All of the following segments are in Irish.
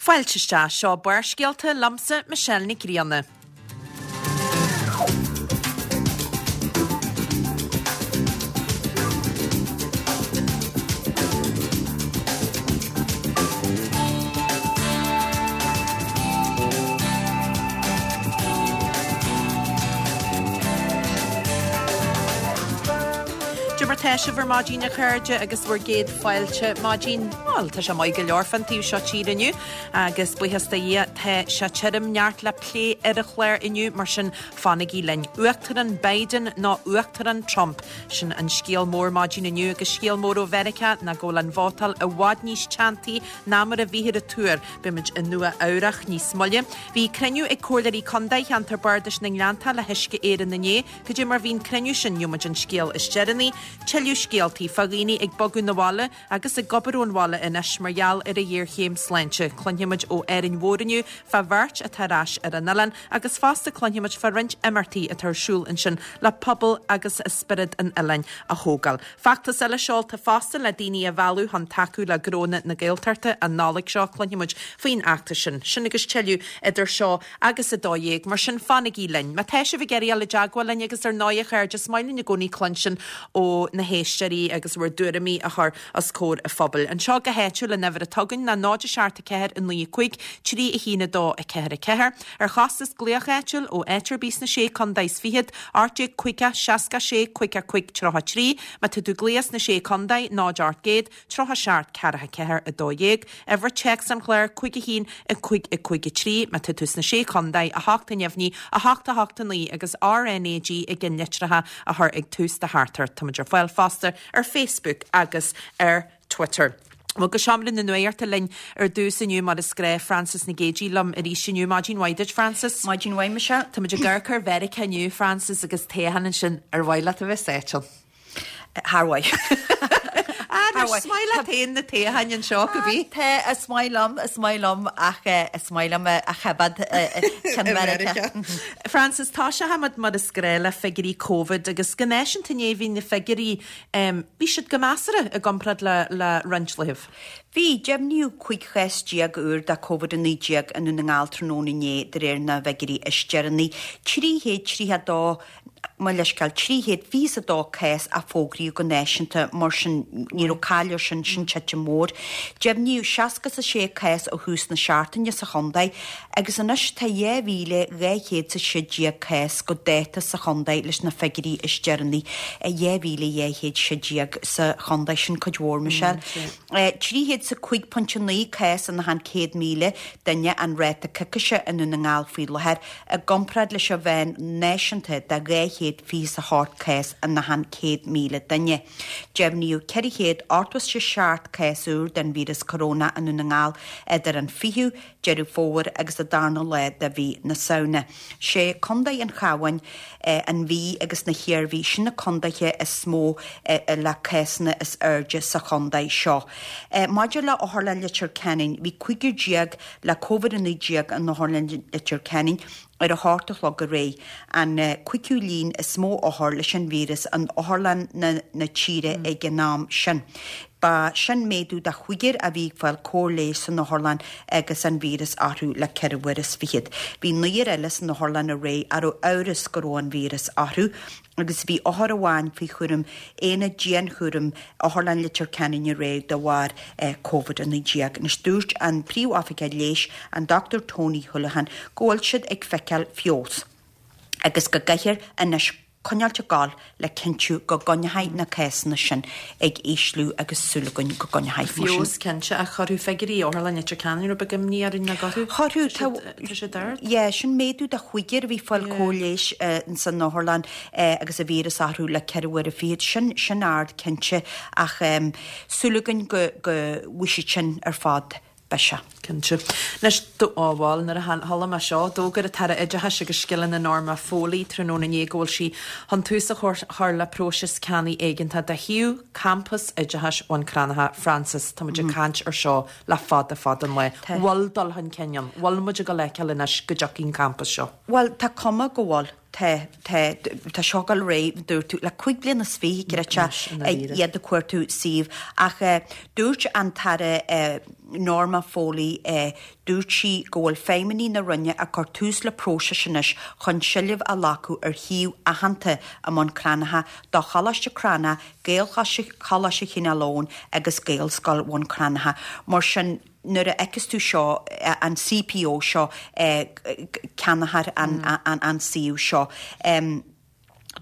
Fáilte isteach, seo Barrscéalta liomsa Michelle Nic Grianna. Cad é mar tá sibh ar maidin a chairde agus bhur gcéad fáilte maidin, bhuel tá sé maith go leor fán taobh seo tíre inniu agus buíochas do Dhia tá sé tirim neart le plé ar an chlár inniu mar sin fanaigí linn. Uachtarán Biden nó Uachtarán Trump? Sin an scéal mór maidin inniu agus scéal mór ó Mheiriceá ná go bhfuil an vótáil i bhfad níos teanntaí ná mar a bhíthear ag tuar. Beimid i Nua Eabhrach níos moille. Bhí cruinniú ag Comhairleoirí Contae Cheantar Bardais na nGleannta le hUisce Éireann inné. Cad é mar bhí an cruinniú sin, gheobhaimid an scéal is deireanaí. Tuilleadh scéaltaí fá dhaoine ag bogadh 'na bhaile agus ag obair ón bhaile anois mar gheall ar an ghéarchéim sláinte. Cluinfimid ó Árainn Mhór inniu fá bheirt atá ar ais ar an oileán agus fosta cluinfimid fá roinnt imeachtaí atá ar siúl ansin le pobal agus spiorad an oileáin a thógáil. Feachtas eile seolta fosta le daoine a mhealladh chun tacú le gnónna na Gaeltachta an Nollaig seo. Cluinfimid faoin fheachtas sin. Sin agus tuilleadh idir seo agus 12:00, mar sin fanaigí linn. Má tá sibh ag iarraidh dul i dteagmháil linn agus ar ndóigh a chairde, is maith linn i gcónaí cluinstin ó na héisteoirí agus bhur dtuairimí a chur os comhair an phobail. Anseo go háitiúil an uimhir atá againn ná 0 7 4 9 5 3 1 2 4 4. Ar chostas glaoch áitiúil ó áit ar bith sna Sé Contae is Fichead, 18 50 66 55 33. Má tá tú ag glaoch sna Sé Contae, 0 800 37 44 12. Uimhir téacs an chláir, 5 1 5 5 3. Má tá tú sna Sé Chontae, 8 neamhní, 8 8 9 agus RnaG i gceannlitreacha a chur ag tús do theachtaireacht. Táimid ar fáil fosta ar Facebook agus ar Twitter. Bhuel, go seomra na nuachta linn ar dtús inniu mar is gnách, Frances Nic Géadaigh liom arís inniu. Maidin mhaith duit, Frances. Maidin mhaith, Michelle. Táimid ag amharc ar Mheiriceá inniu, Frances, agus toghchán ansin. Ar mhaith leat a bheith sáite ann? Thar mhaith. Ah, is maith leat féin na toghcháin anseo, go bí? Tá, is maith liom, is maith liom ach is maith liom a choimhéad ceann Mheiriceá. Frances, tosóimid mar is gnách le figiúirí Covid agus go náisiúnta inné bhí na figiúirí Bhí siad go measartha i gcomparáid le le roinnt laethibh. Bhí. Deimhníodh 15 chás úr de Covid-19 i nDún na nGall tráthnóna inné de réir na bhfigiúirí is deireanaí. 332, mo leithscéal, 322 cás a fógraíodh go náisiúnta, mar sin ní raibh caill air sin, sin titim mhór. Deimhníodh 66 cás ó thús na seachtaine sa chontae Agus anois tá 2,216 cás go dáta sa chontae leis na figiúirí is deireanaí, 2,216 sa chontae, sin cuid mhór, Michelle. 305.9 cás in achan 100,000 duine an ráta coicíse i nDún na nGall faoi láthair, i gcomparáid leis an mheán náisiúnta de 228 cás in achan 100,000 duine. Deimhníodh 487 cás úr den víreas corónach i nDún na nGall idir an 20ú Deireadh Fómhair agus an darna lá de mhí na Samhna. Sé Contae an Chabháin, an Mhí agus na hIarmhí, sin na contaetha is mó le cásanna is airde sa chontae seo. Maidir le Otharlann Leitir Ceanainn, bhí 15 le Covid-19 in Otharlann Leitir Ceanainn, ar a hocht a chlog aréir, an cúigiú líon is mó othar leis an víreas in otharlanna na tíre ag an am sin. Ba sin méadú de chúigear a bhí ag fáil cóir leighis san otharlann agus an víreas orthu le ceithre uair is fichead. Bhí naoir eile san otharlann aréir a raibh amhras go raibh an víreas orthu. agus bhí othar amháin faoi chúram aonad dianchúraim Otharlann Leitir Ceanainn aréir de bharr Covid-19. Anois dúirt an Príomh-Oifigeach Leighis, an Dr Tony Holohan, go bhfuil siad ag feiceáil feabhas agus go gcaithfear anois coinneáilt ag gabháil le cinntiú go gcoinneoidh na cásanna sin ag ísliú agus súil againn go gcoinneoidh mar sin. Feabhas cinnte ach chuirfeadh figiúirí Otharlann Leitir Ceanainn rud beag imní orainn nach gcuirfeadh? Chuirfeadh, tá siad ard. Yeah, sin méadú de chúigear a bhí ag fáil cóir leighis ins an otharlann agus an víreas orthu le ceithre uaire fichead. Sin, sin ard cinnte ach súil againn go, go bhfaighidh siad sin ar fad biseach. Cinnte. Anois, á bhuel, nuair a chuala mé seo, d'fhógair an tAire Oideachais agus Scileanna Norma Foley tráthnóna inné go bhfuil sí chun tús a chur le próiseas ceannaigh éigeantach do shuíomh Campas Oideachais Bhun Cranncha. Frances, tá muid ag caint ar seo le fada fada an lá. Bhfuil dul chun cinn ann? Bhfuil muid ag dul a fheiceáil anois go dtiocfaidh an campas seo? Bhuel, tá cuma go bhfuil. Tá, tá, tá seo ag dul ar aghaidh, dúirt tú, le 25 bliana, creidfeá, iad ag cuartú suíomh. Ach dúirt an tAire Norma Foley, dúirt sí go bhfuil feidhmeannaigh na Roinne ag cur tús le próiseas anois chun seilbh a ghlacadh ar shuíomh aitheanta i mBun Cranncha do Choláiste Cranncha, Gaelcholáiste Chineál Eoghain agus Gaelscoil Bhun Cranncha. Mar sin, nuair a fheiceas tú seo, an CPO seo, ceannófar an suíomh seo.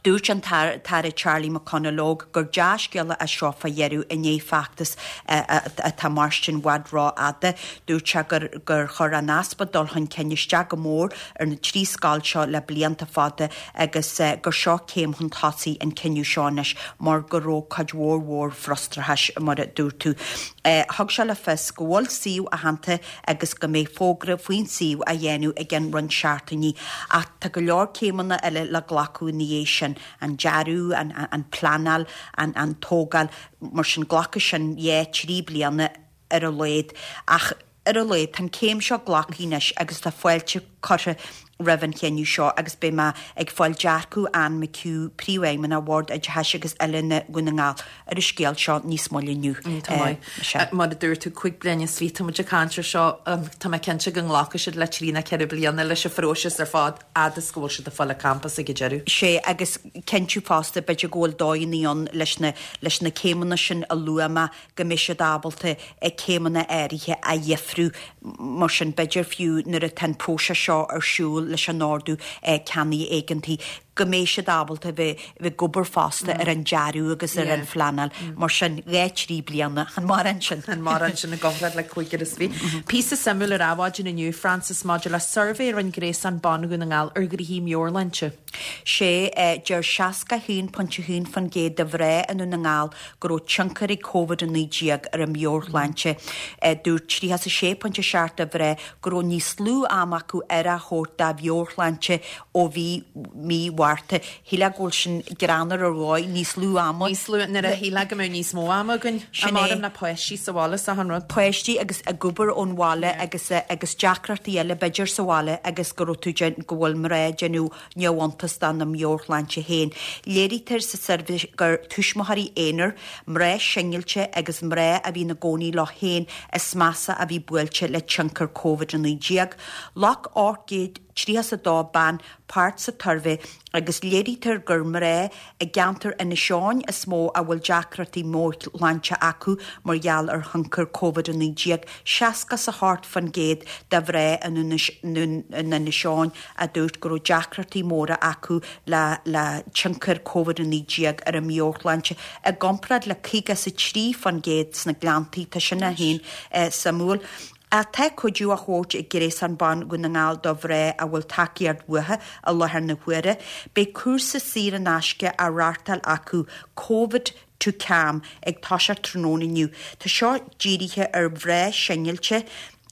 Dúirt an tAire Charlie McConalogue gur dea-scéala é seo fá dheireadh i ndiaidh feachtas atá mairstin i bhfad rófhada. Dúirt sé gur chuir an easpa dul chun cinn isteach go mór ar na trí scoil seo le blianta fada agus gur seo céim chun tosaigh an cinneadh seo anois mar go raibh cuid mhór mhór frustrachais mar a dúirt tú. Thug sé le fios go bhfuil suíomh aitheanta agus go mbeidh fógra faoin suíomh á dhéanamh i gceann roinnt seachtainí ach tá go leor céimeanna eile le glacadh ina dhiaidh sin, an dearadh, an pleanáil, an tógáil, mar sin glacfaidh sin dhá, trí bliana ar a laghad. Ach ar a laghad tá an céim seo glactha anois agus tá fáilte curtha roimh an chinneadh seo agus beidh mé ag fáil dearcadh Anne McHugh, Príomhfheidhmeannach Bhord Oideachais agus Oiliúna Dhún na nGall, ar an scéal seo níos moille inniu. Tá maith. Mar a dúirt tú, 25 bliain, tá muid ag caint ar seo, tá mé cinnte go nglacfaidh siad le trí nó ceithre bliana leis an phróiseas ar fad, fhad is go bhfuil siad ag fáil an campas ag an deireadh. Sea, agus cinntiú fosta, b'fhéidir go bhfuil dóigheanna ann leis na, leis na céimeanna sin a luaigh mé, go mbeidh siad ábalta céimeanna áirithe a dhifriú. Mar sin, b'fhéidir fiú nuair atá an próiseas seo ar siúl leis an ordú ceannaigh éigeantaigh, go mbeidh siad ábalta bheith ag obair fosta ar an dearadh agus ar an phleanáil. Mar sin, dhá, trí bliana, an mórán sin? An mórán sin i gcomparáid le cúigear is fiche. Píosa suimiúil ar Adhmhaidin inniu, Frances, maidir le suirbhé a rinne Gréasán Ban Dhún na nGall ar ghnoithí meabhairshláinte. Sea, deir 61.1% de mhná i nDún na nGall go raibh tionchar ag Covid-19 ar a meabhairshláinte. Dúirt 36.7 de mhná go raibh níos lú ama acu aire a thabhairt dá meabhairshláinte ó bhí mí Mhárta. Shílfeá go bhfuil sin greannmhar ar dhóigh, níos lú ama. Níos lú, nuair a shílfeá go mbeadh níos mó ama againn. Sin é. le páistí sa bhaile is achan rud. Páistí agus ag obair ón bhaile agus agus deacrachtaí eile b'fhéidir sa bhaile agus go raibh tú go bhfuil mná ag déanamh neamhiontas dá meabhairshláinte féin. Léirítear sa suirbhé gur tuismitheoirí aonair, mná singilte agus mná a bhí ina gcónaí leo féin is measa a bhí buailte le tionchar Covid-19. Ghlac 832 bean páirt sa tsuirbhé agus léirítear gur mná i gceantar Inis Eoghain is mó a bhfuil deacrachtaí meabhairshláinte acu mar gheall ar thionchar Covid-19, 68% de mhná in Inis Eoghain a dúirt go raibh deacrachtaí móra acu le le tionchar Covid-19 ar a meabhairshláinte, i gcomparáid le 53% sna Gleanntaí. Tá sin é féin suimiúil. Ach tá cuidiú á thabhairt ag Gréasán Ban Dhún na nGall do mhná a bhfuil tacaíocht uathu i láthair na huaire. Beidh cúrsa saor in aisce á reáchtáil acu, Covid to Calm, ag toiseacht tráthnóna inniu. Tá seo dírithe ar mhná singilte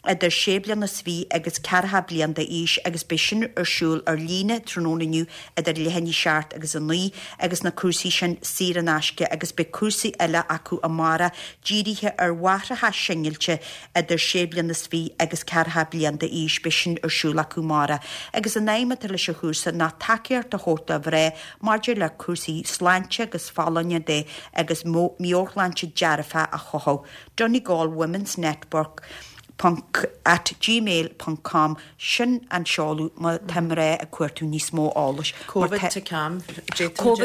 idir sé bliana is fiche agus ceathracha bliain d'aois agus beidh sin ar siúl ar líne tráthnóna inniu idir leath i ndiaidh a seacht agus a naoi agus na cúrsaí sin saor in aisce agus beidh cúrsaí eile acu amárach dírithe ar mháithreacha singilte idir sé bliana is fiche agus ceathracha bliain d'aois, beidh sin ar siúl acu amárach. Agus an aidhm atá leis an chúrsa ná tacaíocht a thabhairt do mhná maidir le cúrsaí sláinte agus folláine de agus meabhairshláinte dearfach a chothú. Donegal Women's Network ponc at gmail ponc com Sin an seoladh má tá mná ag cuartú níos mó eolais. Covid to Calm, d'fhéadfadh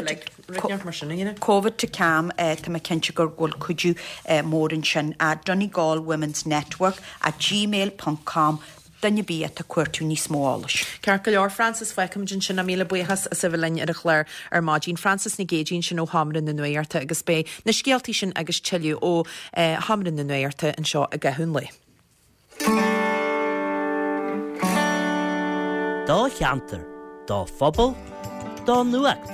muid uilig mar sin a dhéanamh. Covid to Calm, tá mé cinnte go bhfuil cuidiú mór ansin. Donegal Women's Network at gmail ponc com duine ar bith atá ag cuartú níos mó eolais. Ceart go leor, Frances, fágfaimid ansin é. Míle buíochas as a bheith linn ar an chlár ar maidin. Frances Nic Géadaigh ansin ó Sheomra na Nuachta agus beidh na scéaltaí sin agus tuilleadh ó Sheomra na Nuachta anseo i gcaitheamh an lae. Do cheantar, do phobal, do nuacht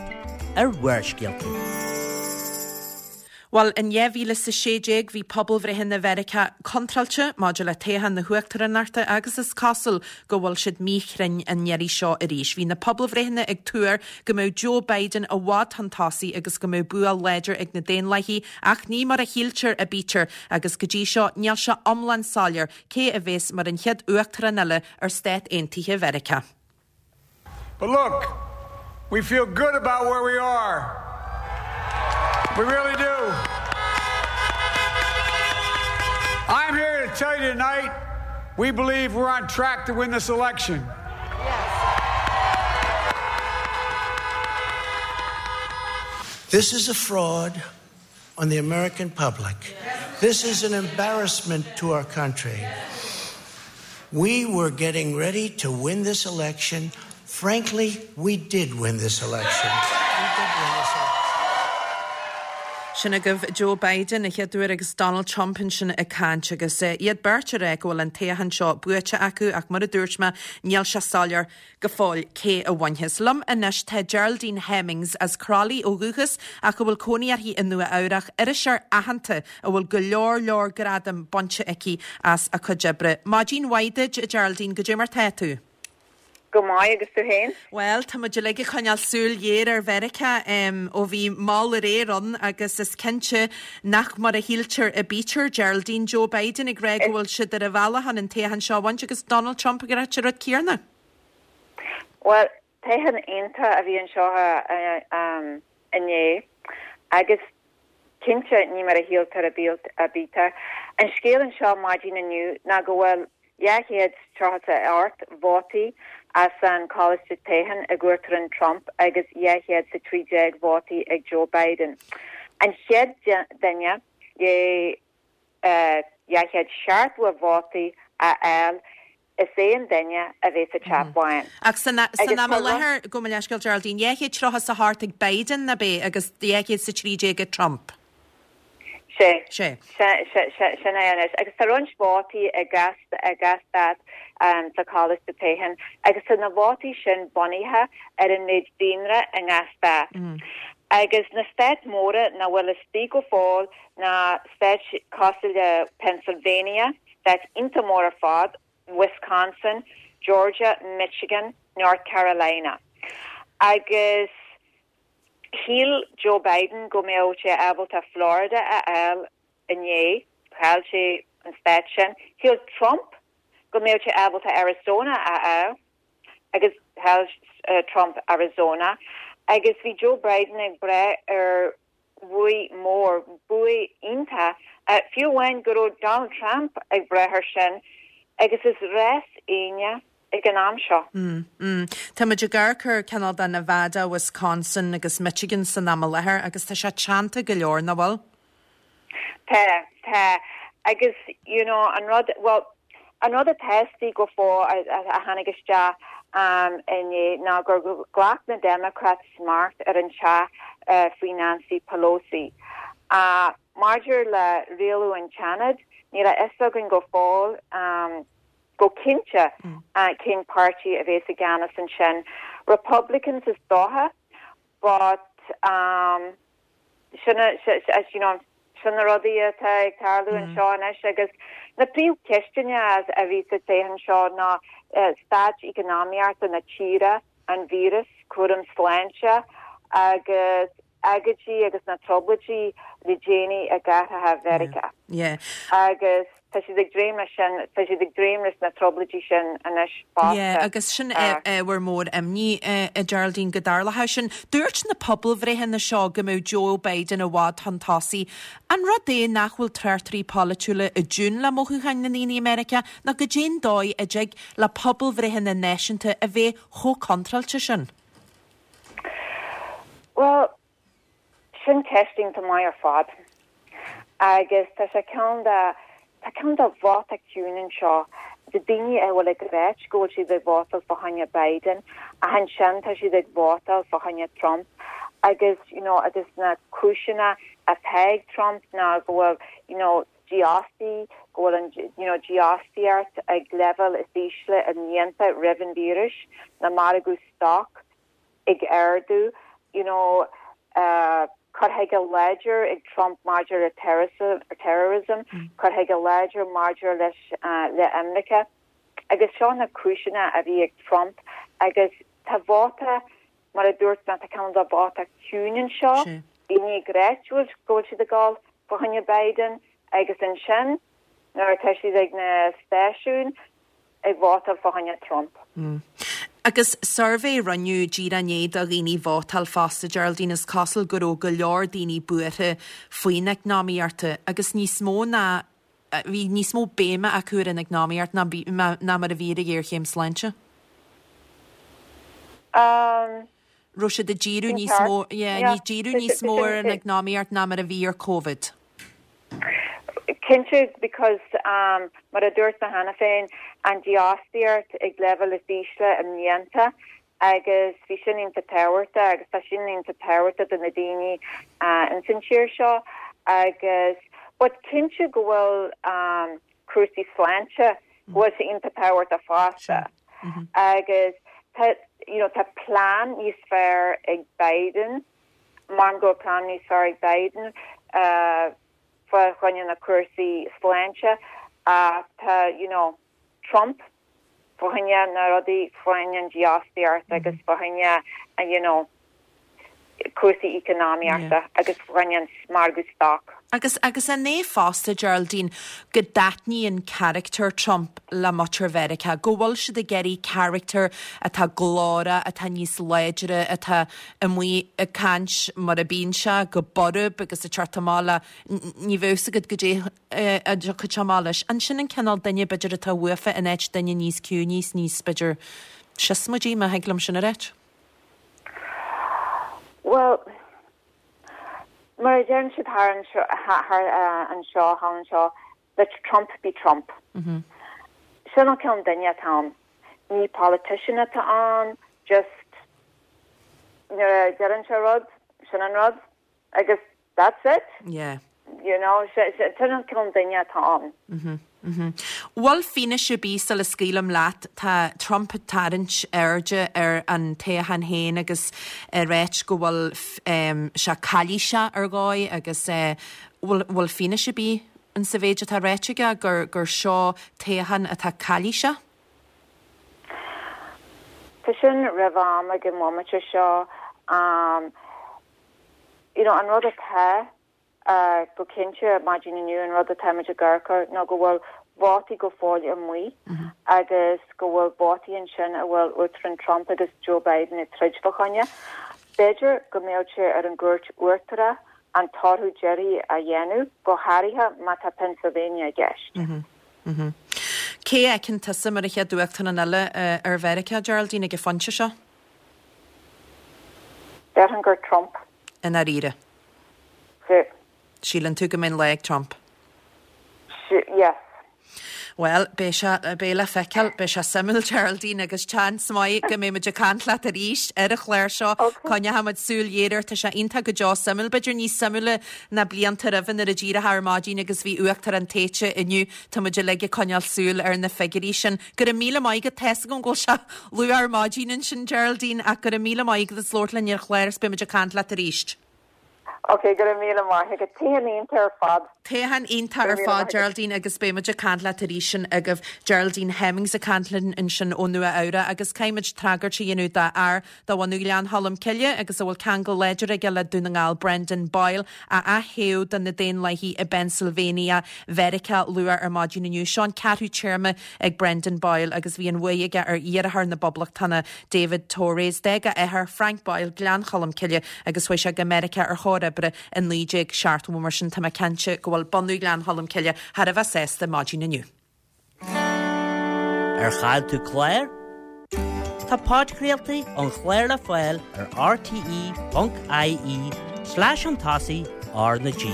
ar Bharrscéalta. Bhuel, in 2016 bhí pobalbhreitheanna Mheiriceá contráilte maidir le toghchán na huachtaránachta agus is cosúil go bhfuil siad míchruinn an iarraidh seo arís. Bhí na pobalbhreitheanna ag tuar go mbeadh Joe Biden i bhfad chun tosaigh agus go mbeadh bua láidir ag na Daonlathaigh ach ní mar a shíltear a bítear Agus go dtí seo, níl sé iomlán soiléir cé a bhéas mar an chéad uachtarán eile ar Stát Aontaithe Mheiriceá. But look, We feel good about where we are. We really do. I'm here to tell you tonight we believe we're on track to win this election. This is a fraud on the American public. This is an embarrassment to our country. We were getting ready to win this election. Frankly, we did win this election. Sin agaibh Joe Biden a chéad uair agus Donald Trump ansin ag caint agus iad beirt ag rá go bhfuil an toghchán seo buaite acu ach mar a dúirt mé níl sé soiléir go fóill cé a bhainfeas. Liom anois tá Geraldine Hemmings as Crolly ó dhúchas ach a bhfuil cónaí uirthi i Nua Eabhrach, iriseoir aitheanta a bhfuil go leor leor gradam bainte aici as a cuid oibre. Maidin mhaith duit, a Geraldine, goidé mar tá tú? Go maith, agus tú féin? Bhuel, tá muid uilig ag coinneáil súil ghéar ar Mheiriceá ó bhí mall aréir ann agus is cinnte nach mar a shíltear a bítear, Geraldine, Joe Biden ag rá go bhfuil siad ar a bhealach chun an toghchán seo a bhaint agus Donald Trump ag ráit an rud céanna. Bhuel, toghchán iontach a bhí anseo inné agus cinnte ní mar a shíltear a bítear. An scéal anseo maidin inniu ná go bhfuil 238 vótaí as an Choláiste Toghcháin ag Uachtarán Trump agus 213 vótaí ag Joe Biden. An chéad duine le 270 vótaí a fháil is é an duine a bheidh sa Teach Bán. Ach san am i láthair, gabh mo leithscéal Geraldine, 238 ag Biden, ab é, agus 213 ag Trump? Sé. Sé. Sin é anois. Agus tá roinnt vótaí i ngach stát sa Choláiste Toghcháin agus tá na vótaí sin bunaithe ar an méid daonra i ngach stát. Agus na stáit mhóra nach bhfuil istigh go fóill ná stáit cosúil le Pennsylvania, stáit iontach mór ar fad, Wisconsin, Georgia, Michigan, North Carolina. Agus shíl Joe Biden go mbeadh sé ábalta Florida a fháil inné, chaill sé an stát sin. Shíl Trump go mbeadh sé ábalta Arizona a fháil agus chaill Trump Arizona. Agus bhí Joe Biden ag brath ar bhuaidh mór, buaidh iontach, fiú amháin go raibh Donald Trump ag brath air sin agus is rás éinne ag an am seo. Tá muid ag amharc ar cineál de Nevada, Wisconsin agus Michigan san am i láthair agus tá sé teannta go leor, nach bhfuil? Tá, tá. Agus, you know, an rud, bhuel, an rud atá istigh go fóill a tháinig isteach inné ná gur ghlac na Democrats smacht ar an teach faoi Nancy Pelosi. Maidir le rialú an tSeanaid, níl a fhios againn go fóill go cinnte cén páirtí a bheas i gceannas ansin. Republicans is dócha, but sin, you know, sin na rudaí atá ag tarlú anseo anois agus na príomhcheisteanna a bhí sa toghchán seo ná staid eacnamaíochta na tíre, an víreas, cúram sláinte agus agóidí agus na trioblóidí le déanaí i gcathracha Mheiriceá. Agus tá siad ag dréim leis sin, tá siad ag dréim leis na trioblóidí sin anois fosta. Yeah, agus sin ábhar mór imní, a Geraldine, go dtarlódh sin. Dúirt na pobalbhreitheanna seo go mbeadh Joe Biden i bhfad chun tosaigh. An rud é nach bhfuil tráchtairí polaitiúla i dtiún le mothúcháin na ndaoine i Meiriceá, nó goidé'n dóigh a dtig le pobalbhreitheanna náisiúnta a bheith chomh contráilte sin? Bhuel, sin ceist iontach maith ar fad. Agus tá sé ceann de, tá ceann de vóta ciúin anseo de daoine a bhfuil ag ráit go bhfuil siad ag vótáil fá choinne Biden ach ansin tá siad ag vótáil fá choinne Trump agus, you know, agus na cúiseanna atá ag Trump ná go bhfuil, you know, dífhostaí, go bhfuil an, you know, dífhostaíocht ag leibhéal is ísle i mblianta roimh an víreas, na margadh stoc ag ardú, you know, cur chuige láidir ag Trump maidir le terrorism, cur chuige láidir maidir leis le imirce. Agus seo na cúiseanna a bhí ag Trump agus tá vóta, mar a dúirt mé, tá cineál de vóta ciúin anseo, daoine ag ráit go bhfuil siad ag dul fá choinne Biden agus ansin nuair atá siad ag na stáisiúin ag vótáil fá choinne Trump. Agus suirbhé a rinneadh díreach i ndiaidh do dhaoine vótáil fosta, Geraldine, is cosúil go raibh go leor daoine buartha faoin eacnamaíocht agus níos mó ná, bhí níos mó béime acu ar an eacnamaíocht ná ná mar a bhí ar an ghéarchéim sláinte. Raibh siad ag díriú níos mó, yeah, ní díriú níos mó ar an eacnamaíocht ná mar a bhí ar Covid. Cinnte, because mar a dúirt mé cheana féin, an dífhostaíocht ag leibhéal is ísle i mblianta agus bhí sin iontach tábhachtach agus tá sin iontach tábhachtach do na daoine ins an tír seo agus but cinnte go bhfuil cúrsaí sláinte, go bhfuil sé iontach tábhachtach fosta agus tá you know tá plean níos fearr ag Biden, Measaim go bhfuil plean níos fearr ag Biden fá choinne na cúrsaí sláinte ach tá you know Trump fá choinne na rudaí fá choinne an dífhostaíocht agus fá choinne you know cúrsaí eacnamaíochta agus fá choinne an margadh stoc. Agus agus an é fosta, Geraldine, go dtaitníonn carachtar Trump le muintir Mheiriceá, go bhfuil siad ag iarraidh carachtar atá glórach, atá níos láidre, atá amuigh ag caint mar a bíonn sé, go borb agus ag teacht amach le, ní bheadh fhios agat goidé a dtiocfadh sé amach leis. An sin an cineál duine, b'fhéidir, atá uafa in áit duine níos ciúine is níos, b'fhéidir, siosmaidí, má thig liom sin a ráit? Bhuel, mar a deireann siad thar anseo, thar anseo, thall anseo, let Trump be Trump. Sin an cineál duine atá ann. Ní politician atá ann, just nuair a deireann sé rud, sin an rud agus that's it. Yeah. You know, sin an cineál duine atá ann. Bhfuil fianaise ar bith sula scaoilim leat, tá Trump ag tarraingt airde ar an toghchán féin agus ag ráit go bhfuil sé calaoiseach ar dhóigh agus bhfuil bhfuil fianaise ar bith in sa mhéid atá ráite aige gur gur seo toghchán atá calaoiseach? Tá sin roimh am ag an bhomaite seo. You know, an rud atá go cinnte, maidin inniu, an rud atáimid ag amharc air ná go bhfuil vótaí go fóill amuigh agus go bhfuil vótaí ansin a bhfuil Uachtarán Trump agus Joe Biden ag troid fá choinne. B'fhéidir go mbeadh sé ar an gCúirt Uachtarach an toradh deiridh a dhéanamh, go háirithe má tá Pennsylvania i gceist. Cé a fheiceann tusa mar an chéad Uachtarán eile ar Mheiriceá, Geraldine, ag an phointe seo? Déarfainn gur Trump. I ndáiríre. Sea. Síleann tú go mbeidh an lá ag Trump? Yes. Bhuel, beidh sé, beidh le feiceáil, beidh sé suimiúil Geraldine agus seans maith go mbeidh muid ag caint leat arís ar an chlár seo. Coinneoidh muid súil ghéar air, tá sé iontach go deo suimiúil, b'fhéidir níos suimiúla ná blianta roimhe nuair a d'éireofá ar maidin agus bhí uachtarán tofa inniu, tá muid uilig ag coinneáil súil ar na figiúirí sin. Go raibh míle maith agat, tá's agam go bhfuil sé luath ar maidin ansin Geraldine ach go raibh míle maith agat as labhairt linn ar an chlár agus beidh muid ag caint leat arís. Ok, go raibh míle maith agat. Toghchán iontach ar fad. Toghchán iontach ar fad, Geraldine, agus beidh muid ag caint leat arís sin agaibh. Geraldine Hemmings ag caint linn ansin ó Nua Eabhrac agus caithfidh muid tragairt a dhéanamh do fhear de bhunadh Ghleann Cholm Cille agus a bhfuil ceangal láidir aige le Dún na nGall, Brendan Boyle, a ath-thoghadh do na Daonlathaigh i bPennsylvania, Mheiriceá luath ar maidin inniu. Seo an ceathrú téarma ag Brendan Boyle agus bhí an bhuaidh aige ar iarrthóir na bPoblachtánach David Torres. D'éag a athair, Frank Boyle, Gleann Cholm Cille agus chuaigh sé go Meiriceá ar thóir oibre i 1970. Mar sin tá mé cinnte go bhfuil bunadh Ghleann Cholm Cille thar a bheith sásta maidin inniu. Ar chaill tú clár? Tá podchraoltaí an chláir le fáil ar rte.ie slash an tosaigh R na G.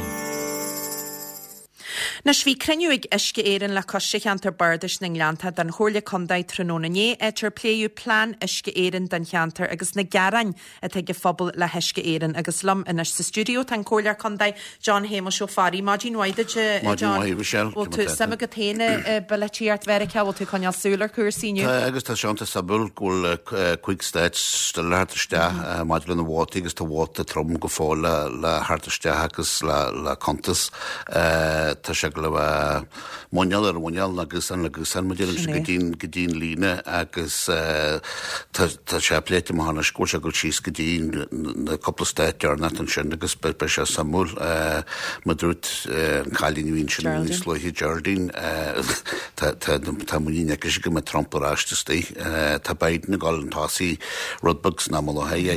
Anois, bhí cruinniú ag Uisce Éireann le Coiste Cheantar Bardais na nGleannta den Chomhairle Contae tráthnóna inné, áit ar pléadh plean Uisce Éireann don cheantar agus na gearáin atá ag an phobal le hUisce Éireann. Agus liom anois sa stiúideo tá an Comhairleoir Contae, John Shéamuis Ó Fearraigh. Maidin mhaith duit, a Maidin John. mhaith, Michelle. Bhfuil tú, suim agat féin i bpolaitíocht Mheiriceá? Bhfuil tú ag coinneáil súil ar chúrsaí inniu? Tá, agus tá sé iontach suimiúil go bhfuil 5 stát still le theacht isteach maidir le na vótaí agus tá vóta trom go fóill le theacht isteach agus le cuntas. Tá sé. ag dul a bheith muineál ar mhuineál nó gusán le gusán mar a deirimse go dtí go dtí an líne agus tá tá sé pléite amach anois go bhfuil sé ag dul síos go dtí na cúpla stát deireanach ansin agus beidh sé suimiúil mar a dúirt an cailín a bhí ansin níos luaithe Geraldine tá tá tá muinín aici go mbeidh Trump ar ais istigh. Tá Biden ag dul chun tosaigh rud beag san am i láthair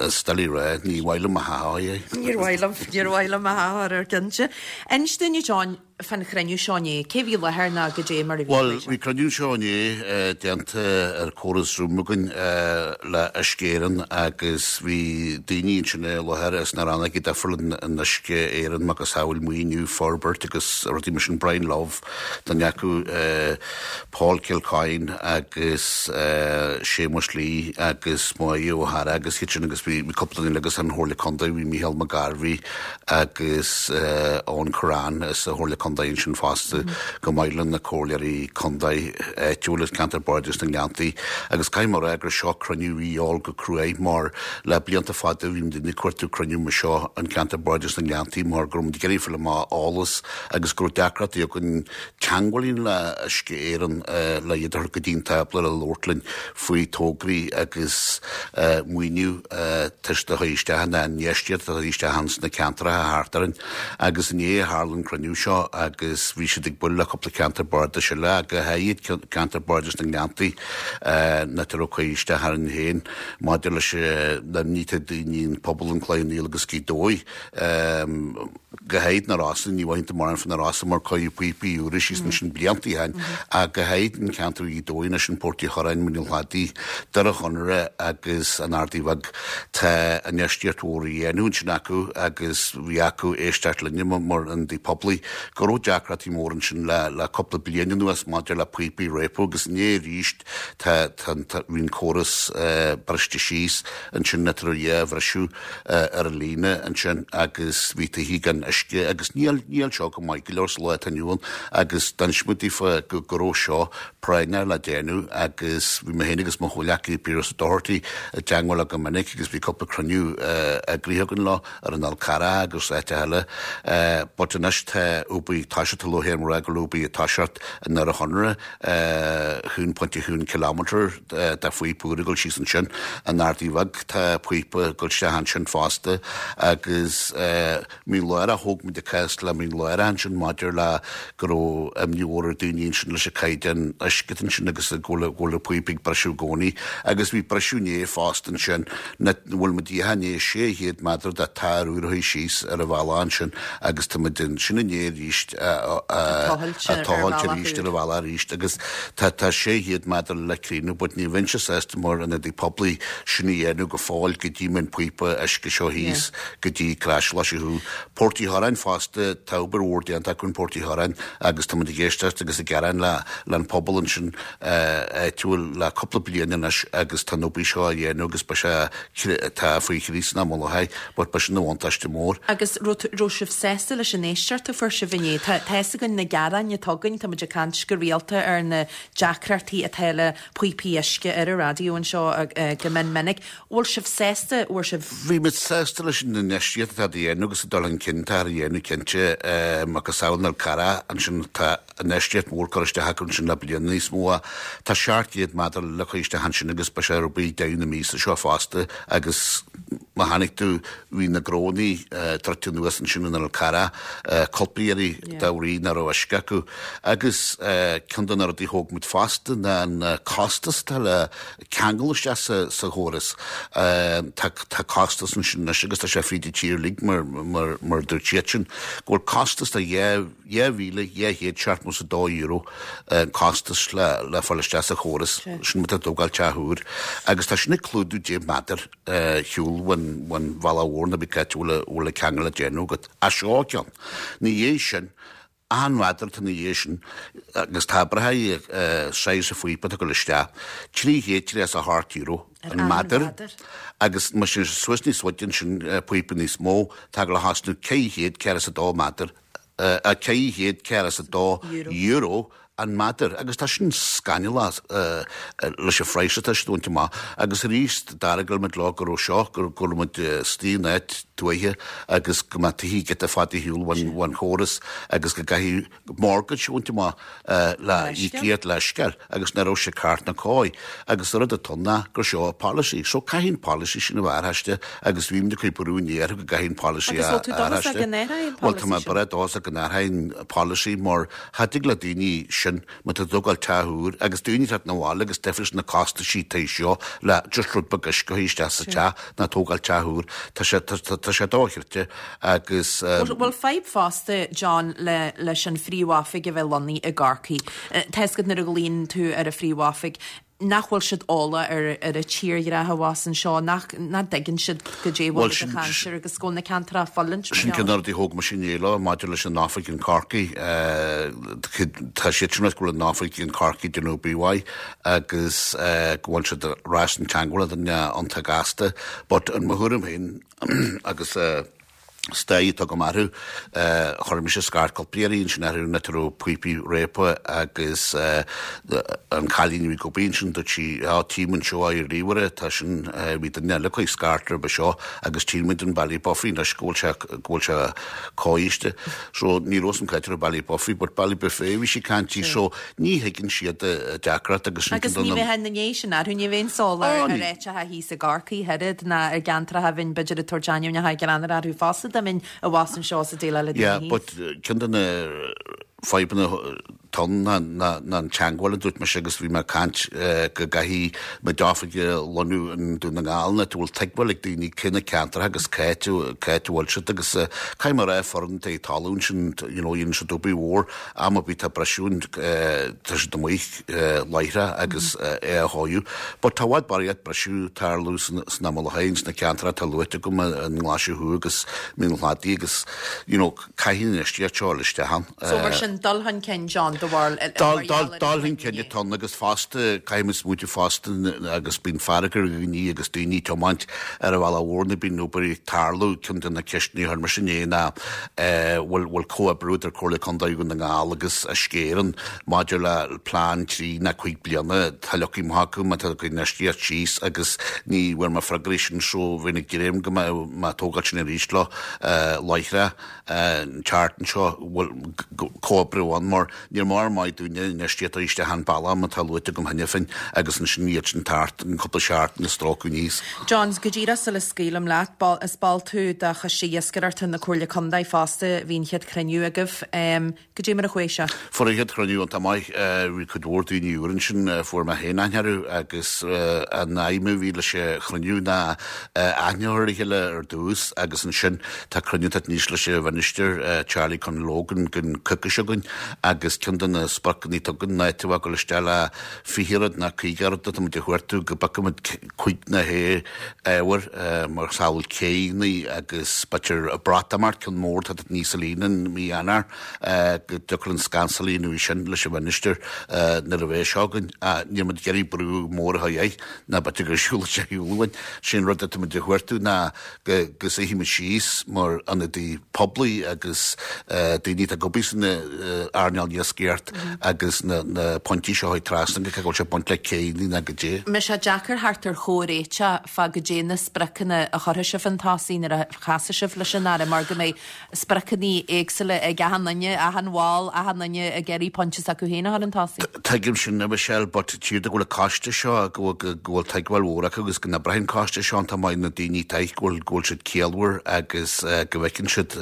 is doiligh a rá ní mhaith liom a dhath é. Níor mhaith liom níor mhaith liom a dhath air cinnte. Inis dúinn a John fán chruinniú seo inné. Cé bhí i láthair ná goidé mar a bhí Bhuel, bhí cruinniú seo inné déanta ar córas Zoom againn le Uisce Éireann agus bhí daoine ansin i láthair as na rannóga difriúla in Uisce Éireann, macasamhail maoiniú, forbairt agus rudaí mar sin, Brian Love, duine acu, Paul Kilcoyne agus Séamus Lee agus Moya O'Hara agus iad sin agus bhí cúpla duine eile agus an Chomhairle Contae, bhí Micheál Mac Gairbhí, agus Eoghan Curran as an Chomhairle Contae ansin fosta, chomh maith le na comhairleoirí contae áitiúil as ceantar Bardais na nGleanntaí. Agus caithfidh mé a rá gur seo cruinniú a bhí a dhíobháil go cruaidh mar le blianta fada bhí muid ag cuartú cruinniú mar seo an ceantar Bardais na nGleanntaí mar go raibh muid ag iarraidh fáil amach eolas agus go raibh deacrachtaí againn teagmháil a dhéanamh le Uisce Éireann le iad a thabhairt go dtí an tábla le labhairt linn faoi tograí agus maoiniú toisc do chuir isteach an infheistíocht a chuir isteach ins na ceantracha thart orainn. Agus inné a tharla an cruinniú seo agus bhí siad ag bualadh le cúpla ceantar bardais eile ach go háirid ceantar bardais na nGleanntaí nach raibh cur isteach orainn féin maidir leis na imní atá daoine an pobal an Cloich Cheann Fhaola agus Gaoth Dobhair. Go háirid na Rosa, ní mhothaíonn tú mórán fá na Rosa mar cuireadh píopaí úra síos ansin blianta ó shin, ach go háirid an ceantar Ghaoth Dobhair anois, an Port Uí Churráin, Muineál Chladaigh, Doire Chonaire agus an Ardaidh Bheag. Tá infheistíocht mhór á dhéanamh ansin acu agus bhí acu éisteacht linne mar ionadaí poiblí go raibh deacrachtaí móra ansin le cúpla bliain anuas maidir le píopaí ag réabadh agus inné arís tá bhí an córas briste síos ansin tar éis dhá bhriseadh. ar an líne ansin agus bhí tithe gan uisce agus níl, níl seo go maith go leor sa lá atá inniu ann agus d'inis muid daofa go, go raibh seo práinneach le déanamh agus bhí mé féin agus mo chomhghleacaí Piaras Ó Dochartaigh i dteagmháil leo go minic agus bhí cúpla cruinniú eagraithe againn leo ar an Fhál Carrach agus áiteacha eile but anois tá obair ag toiseacht, tá lúcháir orm a rá go bhfuil obair ag toiseacht i nDoire Chonaire, 1.1 kilometre de phíopa úr ag dul síos ansin. An Ardaidh Bheag, tá píopa ag dul isteach ansin fosta agus Mín Lárach, thóg muid an cás le Mín Lárach ansin maidir le go raibh imní mhór ar daoine ansin leis an caighdeán uisce ansin agus go bhfuil an píopa ag briseadh i gcónaí agus bhí briseadh inné fosta ansin na bhfuil muid i ndiaidh 600 méadar de tar úr a chur síos ar an bhealach ansin agus tá muid ansin inné arís ag tochailt arís ar an bhealach arís agus tá tá 600 méadar le críochnú but ní bheinnse sásta mar ionadaí poiblí sin a dhéanamh go fóill go dtí mbeidh an píopa uisce seo thíos go dtí Crois Uí Port Uí Chorráin fosta tá obair mhór déanta acu in Port Uí Chorráin agus tá muid ag éisteacht agus ag gearán le le an pobal ansin áitiúil le cúpla bliain anois agus tá an obair seo á dhéanamh agus beidh sé, tá faoi chríoch san am i láthair but beidh sin ina bhuntáiste mór. Agus raibh sibh sásta leis an éisteacht a fuair sibh inné? Tá fhios againn na gearáin atá againn, tá muid ag caint go rialta ar na deacrachtaí atá le píopaí uisce ar an raidió anseo go mion minic. Bhfuil sibh sásta, bhfuair sibh. Bhí muid sásta leis an infheistíocht atá á dhéanamh agus an dul chun cinn atá á dhéanamh cinnte macasamhail an Fhál Carrach ansin tá infheistíocht mhór curtha isteach acu ansin le bliana níos mó. Tá 700 méadar le cur isteach ansin agus beidh sé ar obair deireadh na míosa seo fosta agus má chonaic tú bhí na gnónnaí druidte anuas ansin in Fhál Carrach cúpla iarraidh dá bhrí nach raibh uisce acu. Agus ceann de na rudaí a thóg muid fosta ná an costas atá le ceangal isteach sa chóras. Tá costas ansin anois agus tá sé fríd an tír uilig mar mar dúirt siadsan go bhfuil costas de €2,272 an costas le fáil isteach sa chóras sin má tá tú ag tógáil teach úr agus tá sin ag clúdú 10 méadar shiúl ón bhealach mhór nó pé áit a bhfuil an ceangal le déanamh agat. Ach seo ceann. Ina dhiaidh sin, achan mhéadar atá ina dhiaidh sin agus tá oibreacha saghas an phíopa atá ag dul isteach, €338 an méadar agus má théann sé suas níos faide ansin píopa níos mó, tá ag dul a thosnú €442 méadar, €442. An meadar, agus tá sin scannalach leis an phraghas atá siad a bhaint amach. Agus arís, d'argóil muid leo go raibh seo, go raibh muid istigh in áit tuaithe agus go mbeadh tithe giota fada ar shiúl ón chóras agus go gcaithfidh mortgage a bhaint amach le íocaíocht leithscéal agus nach raibh sé ceart ná cóir. Agus an rud atá ann ná gur seo an policy. So caithfidh an policy sin a bheith athraithe agus bhí muid ag cur brú inné orthu go gcaithfidh an policy a athraithe. Agus bhfuil tú dóchasach go n-athróidh an policy sin? Bhuel tá mé breá dóchasach go n-athróidh an policy mar Cha dtig le daoine sin, má tá tú ag tógáil teach úr, agus daoine teacht 'na bhaile agus difríocht na costaisí taobh seo le just rud beag uisce a chur isteach sa teach ná tógáil teach úr, tá sé, tá, tá sé dochreidte agus. Bhfuil fadhb fosta, John, le, leis an phríomhoifig a bheith lonnaithe i gCorcaigh? Tá a fhios agat nuair a ghlaonn tú ar an phríomhoifig, nach bhfuil siad eolach ar ar an tírdhreach abhus anseo, nach nach dtuigeann siad goidé a bhfuil muid ag caint air agus go bhfuil na ceantracha ag fulaingt mar Sin ceann de na rudaí a thóg mise inné leo maidir leis an oifig in Corcaigh. Tá siad sin ag rá go bhfuil an oifig in Corcaigh ag déanamh obair mhaith agus go bhfuil siad ar ais in teagmháil le duine iontach gasta but in mo thuairim féin agus is taithí atá agam orthu. Chuir mise scairt cúpla iarraidh ansin orthu nuair a raibh píopaí réabtha agus an cailín a bhí ag obair ansin dúirt sí á tchím anseo ar ríomhaire tá sin bhí duine eile ag cur scairt roimhe seo agus tchíonn muid in Ballybofey anois go bhfuil sé go bhfuil sé cóiste. So ní raibh san caite ar Ballybofey but Ballybuffet bhí sí ag caint so ní thuigeann siad deacracht agus sin Agus ní bheadh ina ndiaidh sin orthu, ní bheinn eolach ar áiteacha thíos i gCorcaigh oiread ná ar gceantracha a bheinn b'fhéidir ag tabhairt ainmneacha greannmhara orthu fosta dá mbeinn abhus anseo sa déileáil le daoine Yeah, but ceann de na fadhbanna atá ann ná ná an teagmháil a dúirt mise agus bhí mé ag caint go gcaithfidh muid oifig a lonnú i nDún na nGall ina bhfuil tuigbheáil ag daoine cé na ceantracha agus cá háit cá háit a bhfuil siad agus caithfidh mé a rá foireann atá ag tarlú ansin you know dhéanann siad obair mhór Am ar bith tá briseadh ann, tá siad amuigh láithreach agus é a chóiriú. But tá i bhfad barraíocht briseadh ag tarlú san am i láthair sna ceantracha atá luaite agam, an nGlaise Thuaidh agus Mín an Chladaigh agus you know caithfidh an infheistíocht seo a dhul isteach ann. So mar sin, dul chun cinn, John, do bharúil, mar gheall ar an Dul chun cinn atá ann agus fosta caithfidh muid smaointiú fosta agus bíonn fearg ar dhaoine agus daoine ag tiomáint ar an bhealach mhór nuair bíonn obair ag tarlú, ceann de na ceisteanna a chuir mise inné ná bhfuil bhfuil comhoibriú idir Comhairle Contae Dhún na nGall agus Uisce Éireann maidir le plean 3 nó 5 bliana. Tá leagtha amach acu má tá ag infheistíocht síos agus ní bhfuair mé freagraí sin so bheinn ag dréim go mbeadh mé ag tógáil sin arís leo láithreach an tseachtain seo bhfuil comhoibriú ann mar Níor mór maith dúinne infheistíocht a isteach an bealach mar atá luaite agam cheana féin agus ansin iad sin thart in cúpla seachtain ag stróiceadh aníos. John, go díreach sula scaoilim leat, is ball tú de Choiste Iascaireachta na Comhairle Contae fosta, bhí an chéad chruinniú agaibh. Goidé mar a chuaigh sé? Fuair an chéad chruinniú iontach maith, bhí cuid mhór daoine úr ansin, fuair mé féin aithne orthu agus an aidhm a bhí leis an chruinniú ná aithne a chur ar a chéile ar dtús agus ansin Tá cruinniú ag teacht aníos leis an Mhinistir Charlie Conn Logan don coicís seo chugainn agus ceann de na spriocanna atá againn ná áit a bheith ag dul isteach le 20 rud ná 50 rud atá muid a chuartú go bpiocfaidh muid cuid na h-ábhair mar shamhail céanna agus b'fhéidir Breatimeacht ceann mór atá ag teacht aníos sa líne in mí Eanáir go dtiocfadh linn scansáil a dhéanamh sin leis an Mhinistir nuair a bheidh seo againn. Níl muid ag iarraidh brú mór a chur air ná b'fhéidir go siúlfaidh sé ar shiúl uainn. Sé'n rud atá muid a chuartú ná go suífimid síos mar ionadaí poiblí agus daoine atá ag obair san earnáil iascaireacht agus na pointí seo a chur trasna go cé go bhfuil sé ag baint le céanna ná goidé. Mbeidh sé deacair theacht ar chomhréiteach fá goidé na spriocanna a chuirfidh sibh chun tosaigh nuair a chasfaidh sibh leis an Aire mar go mbeidh spriocanna éagsúla ag achan duine, achan bhall, achan duine ag iarraidh pointe s'acu féin a chur chun tosaigh. Tuigim sin, a Mhichelle, but tchítear go bhfuil an coiste seo, go bhfuil, go bhfuil tuigbheáil mhór acu agus go n-oibreoidh an coiste seo iontach maith, na daoine atá go bhfuil, go bhfuil siad ciallmhar agus go bhfeiceann siad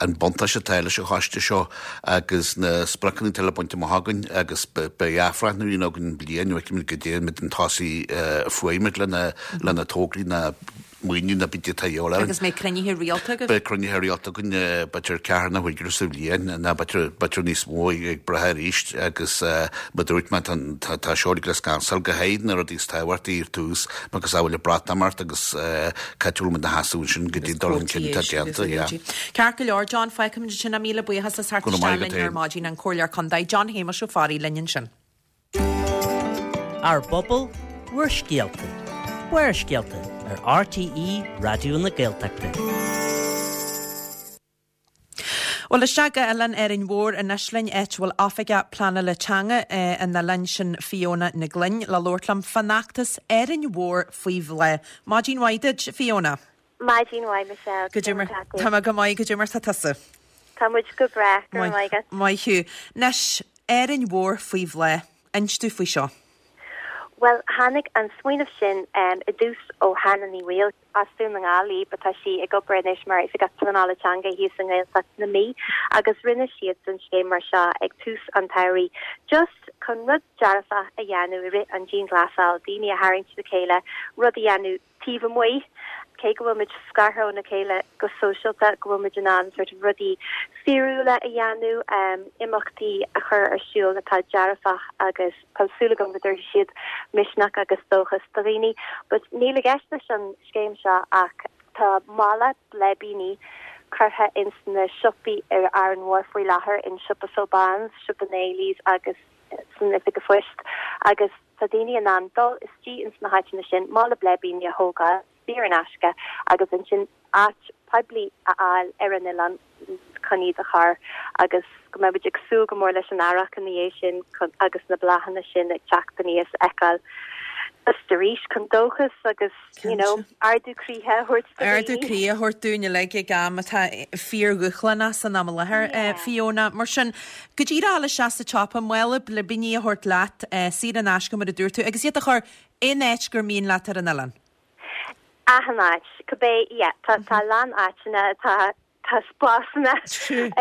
an buntáiste atá leis an choiste seo agus na spriocanna atá le baint amach againn agus beidh athbhreithniú againn bliain, feicfimid goidé an méid chun tosaigh a fuair muid lena, lena tograí na maoiniú ná bídí atá a dhíobháil orainn. Agus mbeidh cruinnithe rialta agaibh? Beidh cruinnithe rialta againn, b'fhéidir ceathair nó cúig uair sa bhliain, nó b'fhéidir, b'fhéidir níos mó ag brath arís agus mar a dúirt mé, tá, tá seo uilig le scansáil go háirid na rudaí is tábhachtaí ar tús, mar go samhail an Breatimeacht agus cá háit a bhfuil muid ina sheasamh ansin go dtí an dul chun cinn atá déanta, yeah. Ceart go leor, John, fágfaimid ansin é. Míle buíochas as theacht Go raibh maith isteach agat linn ar féin. maidin, an Comhairleoir Contae, John Shéamuis Ó Fearraigh linn ansin. Ár bpobal, bhur scéalta. Barrscéalta ar RTÉ Raidió na Gaeltachta. Bhuel, isteach go Oileán Árainn Mhór anois linn, áit a bhfuil Oifigeach Pleanála Teanga an oileáin, sin Fiona Nic Gloinn, le labhairt liom fán fheachtas Árainn Mhór faoi Bhláth. Maidin mhaith duit, Fiona. Maidin mhaith, Michelle. Goidé mar tá mé go maith, goidé mar tá tusa? Tá muid go breá, go raibh maith agat. Maith thú. Anois, Árainn Mhór faoi bhláth, inis domh faoi seo. Bhuel, tháinig an smaoineamh sin i dtús ó Hannah Ní Bhaoill. As Dún na nGall í but tá sí ag obair anois mar Oifigeach Pleanála Teanga thíos i nGaeltacht na Mí agus rinne siadsan scéim mar seo ag tús an tsamhraidh just chun rud dearfach a dhéanamh i rith an dianghlasáil, daoine a tharraingt le chéile, rud a dhéanamh taobh amuigh cé go bhfuil muid scartha óna chéile go sóisialta, go bhfuil muid in ann sort of rudaí fíorúla a dhéanamh, imeachtaí a chur ar siúl atá dearfach agus. Tá súil agam go dtabharfaidh siad misneach agus dóchas do dhaoine. But níl i gceist leis an scéim seo ach tá mála bleibíní curtha ins na siopaí ar Árainn Mhór faoi láthair, in Siopa Sobans, Siopa Naley's agus san Oifig a Phoist agus tá daoine in ann dul istigh ins na háiteanna sin, mála bleibíní a thógáil, saor in aisce agus ansin áit poiblí a fháil ar an oileán chun iad a chur agus go mbeidh muid ag súil go mór leis an earrach ina dhiaidh sin agus na bláthanna sin ag teacht aníos a fheiceáil just arís chun dóchas agus you know ardú croíthe a thabhairt do Ardú dhaoine. croí a thabhairt dúinn uilig ag am atá fíordhúshlánach san am i láthair, Fiona. Mar sin, go díreach a dhul isteach sa tsiopa, mála blibíní a thabhairt leat, saor in aisce mar a dúirt tú, agus iad a chur aon áit gur mian leat ar an oileán. Achan áit, cibé, yeah, tá tá a lán áiteanna, tá tá spásanna